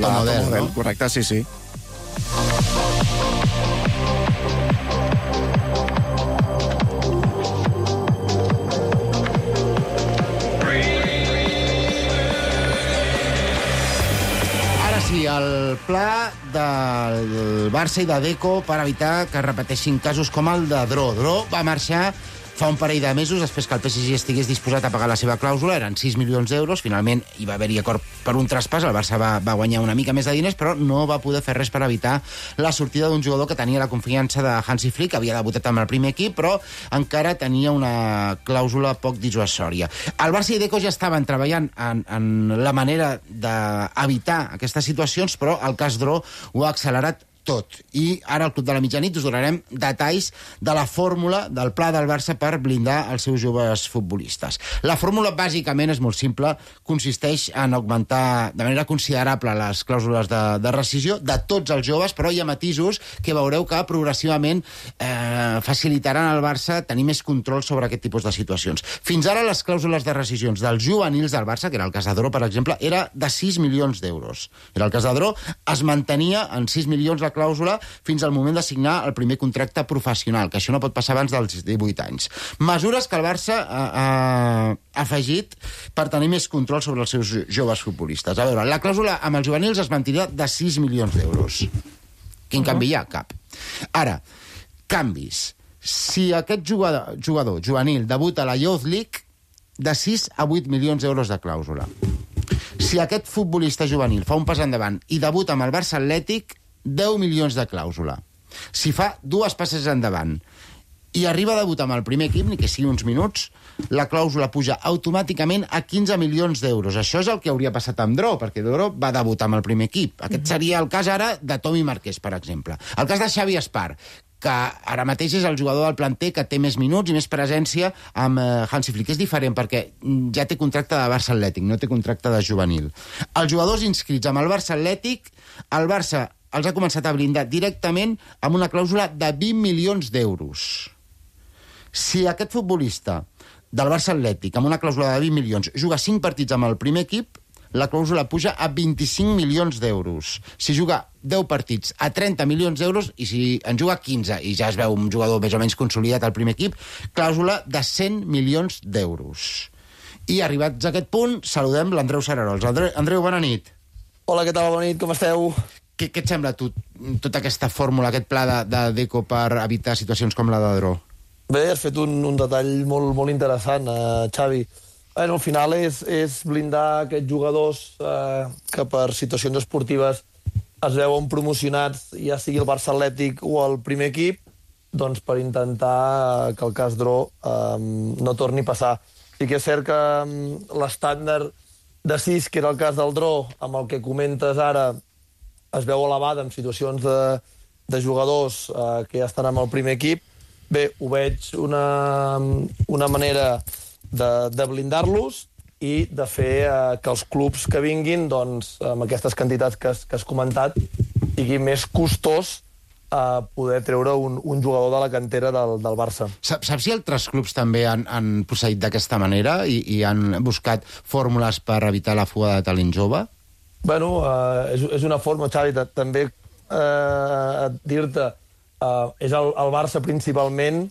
Tom Odell, no? Correcte, sí. Ara sí, el pla del Barça i de Deco per evitar que repeteixin casos com el de Dro. Dro va marxar Fa un parell de mesos, després que el PSG estigués disposat a pagar la seva clàusula, eren 6 milions d'euros, finalment hi va haver-hi acord per un traspàs, el Barça va guanyar una mica més de diners, però no va poder fer res per evitar la sortida d'un jugador que tenia la confiança de Hansi Flick, havia debutat amb el primer equip, però encara tenia una clàusula poc dissuasòria. El Barça i Deco ja estaven treballant en la manera d'evitar aquestes situacions, però el cas Dró ho ha accelerat tot. I ara al Club de la Mitjanit us donarem detalls de la fórmula del pla del Barça per blindar els seus joves futbolistes. La fórmula, bàsicament, és molt simple. Consisteix en augmentar de manera considerable les clàusules de rescissió de tots els joves, però hi ha matisos que veureu que progressivament facilitaran al Barça tenir més control sobre aquest tipus de situacions. Fins ara, les clàusules de rescissions dels juvenils del Barça, que era el cas de Dró, per exemple, era de 6 milions d'euros. Era el cas de Dró, es mantenia en 6 milions la clàusula fins al moment de signar el primer contracte professional, que això no pot passar abans dels 18 anys. Mesures que el Barça ha afegit per tenir més control sobre els seus joves futbolistes. A veure, la clàusula amb els juvenils es mantindrà de 6 milions d'euros. Quin canvi hi ha? Cap. Ara, canvis. Si aquest jugador juvenil debuta a la Youth League, de 6 a 8 milions d'euros de clàusula. Si aquest futbolista juvenil fa un pas endavant i debuta amb el Barça Atlètic, 10 milions de clàusula. Si fa 2 passes endavant i arriba a debutar amb el primer equip, ni que sigui uns minuts, la clàusula puja automàticament a 15 milions d'euros. Això és el que hauria passat amb Dró, perquè Dró va debutar amb el primer equip. Aquest seria el cas ara de Tomi Marquès, per exemple. El cas de Xavi Espar, que ara mateix és el jugador del planter que té més minuts i més presència amb Hansi Flick. És diferent perquè ja té contracte de Barça Atlètic, no té contracte de juvenil. Els jugadors inscrits amb el Barça Atlètic, el Barça els ha començat a blindar directament amb una clàusula de 20 milions d'euros. Si aquest futbolista del Barça Atlètic, amb una clàusula de 20 milions, juga 5 partits amb el primer equip, la clàusula puja a 25 milions d'euros. Si juga 10 partits a 30 milions d'euros, i si en juga 15, i ja es veu un jugador més o menys consolidat al primer equip, clàusula de 100 milions d'euros. I arribats a aquest punt, saludem l'Andreu Sararols. Andreu, bona nit. Hola, què tal? Bona nit, com esteu? Què et sembla a tu, tota aquesta fórmula, aquest pla de Deco per evitar situacions com la de Dró? Bé, has fet un detall molt interessant, Xavi. Al final és blindar aquests jugadors que per situacions esportives es veuen promocionats, ja sigui el Barça Atlètic o el primer equip, doncs per intentar que el cas Dró no torni a passar. Sí que és cert que l'estàndard de 6, que era el cas del Dró, amb el que comentes ara, es veu elevada en situacions de jugadors que ja estan amb el primer equip. Bé, ho veig una manera de blindar-los i de fer que els clubs que vinguin, doncs, amb aquestes quantitats que has comentat, sigui més costós poder treure un jugador de la cantera del Barça. Saps si altres clubs també han procedit d'aquesta manera i han buscat fórmules per evitar la fuga de talent jove? Bueno, és una forma, Xavi, també dir-te, és el Barça principalment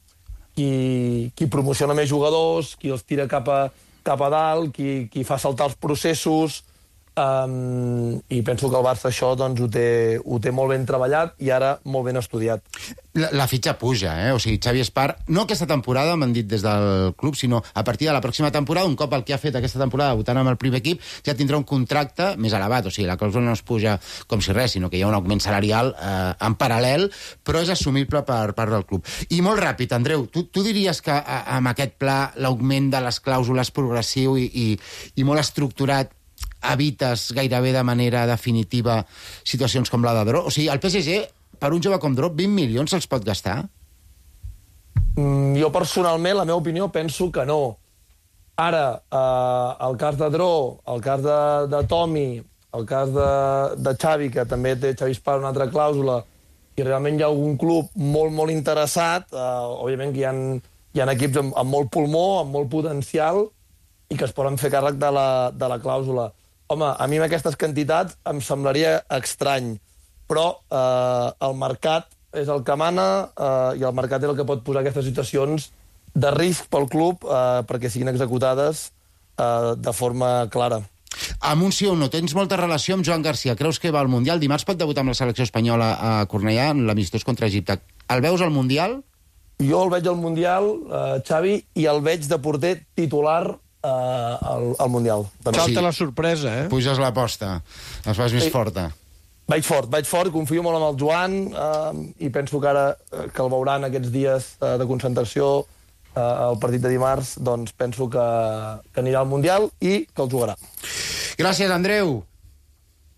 qui promociona més jugadors, qui els tira cap a dalt, qui fa saltar els processos, i penso que el Barça això doncs, ho té molt ben treballat i ara molt ben estudiat. La fitxa puja, O sigui, Xavi Espar, no aquesta temporada, m'han dit des del club, sinó a partir de la pròxima temporada, un cop el que ha fet aquesta temporada debutant amb el primer equip, ja tindrà un contracte més elevat. O sigui, la clàusula no es puja com si res, sinó que hi ha un augment salarial en paral·lel, però és assumible per part del club. I molt ràpid, Andreu, tu diries que amb aquest pla l'augment de les clàusules progressiu i molt estructurat evites gairebé de manera definitiva situacions com la de Dró? O sigui, el PSG, per un jove com Dró, 20 milions se'ls pot gastar? Jo, personalment, la meva opinió, penso que no. Ara, el cas de Dró, el cas de Tomi, el cas de Xavi, que també té Xavi Espar una altra clàusula, i realment hi ha algun club molt interessat, òbviament que hi ha equips amb molt pulmó, amb molt potencial, i que es poden fer càrrec de la clàusula. Home, a mi amb aquestes quantitats em semblaria estrany, però el mercat és el que mana i el mercat és el que pot posar aquestes situacions de risc pel club perquè siguin executades de forma clara. Amb un sí o no, tens molta relació amb Joan Garcia. Creus que va al Mundial? Dimarts pot debutar amb la selecció espanyola a Cornellà en l'amistós contra Egipte. El veus al Mundial? Jo el veig al Mundial, Xavi, i el veig de porter titular al Mundial. Salta la sorpresa, eh? Puges l'aposta, es fas més forta. Vaig fort, confio molt en el Joan i penso que ara que el veuran aquests dies de concentració al partit de dimarts, doncs penso que anirà al Mundial i que el jugarà. Gràcies, Andreu.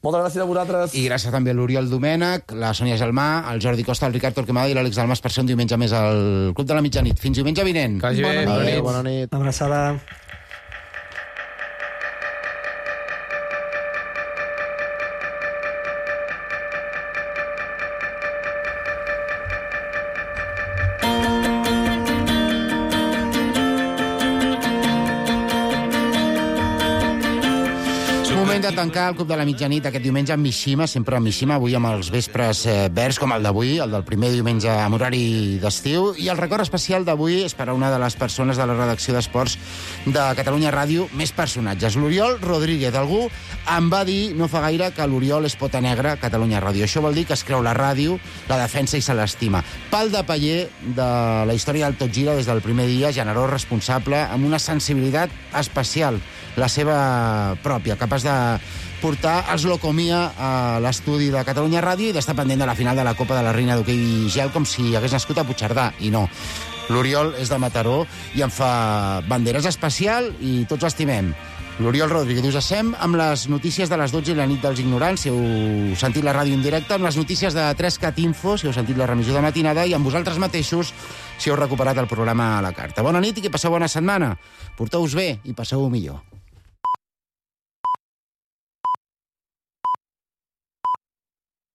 Moltes gràcies a vosaltres. I gràcies també a l'Oriol Domènech, la Sònia Gelmà, el Jordi Costa, el Ricard Torquemada i l'Àlex Dalmas per ser un diumenge més al Club de la Mitjanit. Fins diumenge vinent. Bona nit. Abraçada. De tancar el Club de la Mitjanit aquest diumenge amb Mishima, sempre amb Mishima, avui amb els vespres verds com el d'avui, el del primer diumenge amb horari d'estiu, i el record especial d'avui és per a una de les persones de la redacció d'Esports de Catalunya Ràdio, més personatges, l'Oriol Rodríguez. Algú em va dir no fa gaire que l'Oriol és pota negra a Catalunya Ràdio. Això vol dir que es creu la ràdio, la defensa i se l'estima. Pal de paller de la història del Tot Gira des del primer dia, generós, responsable, amb una sensibilitat especial, la seva pròpia, capaç de portar els Locomia a l'estudi de Catalunya Ràdio i d'estar pendent de la final de la Copa de la Reina d'Hoquei Gel com si hagués nascut a Puigcerdà, i no. L'Oriol és de Mataró i en fa banderes especial i tots l'estimem. L'Oriol Rodríguez. Us deixem amb les notícies de les 12 i la nit dels ignorants, si heu sentit la ràdio en directe, amb les notícies de 3CAT Info, si heu sentit la remissió de matinada, i amb vosaltres mateixos, si heu recuperat el programa a la carta. Bona nit i que passeu bona setmana. Porteu-vos bé i passeu-ho millor.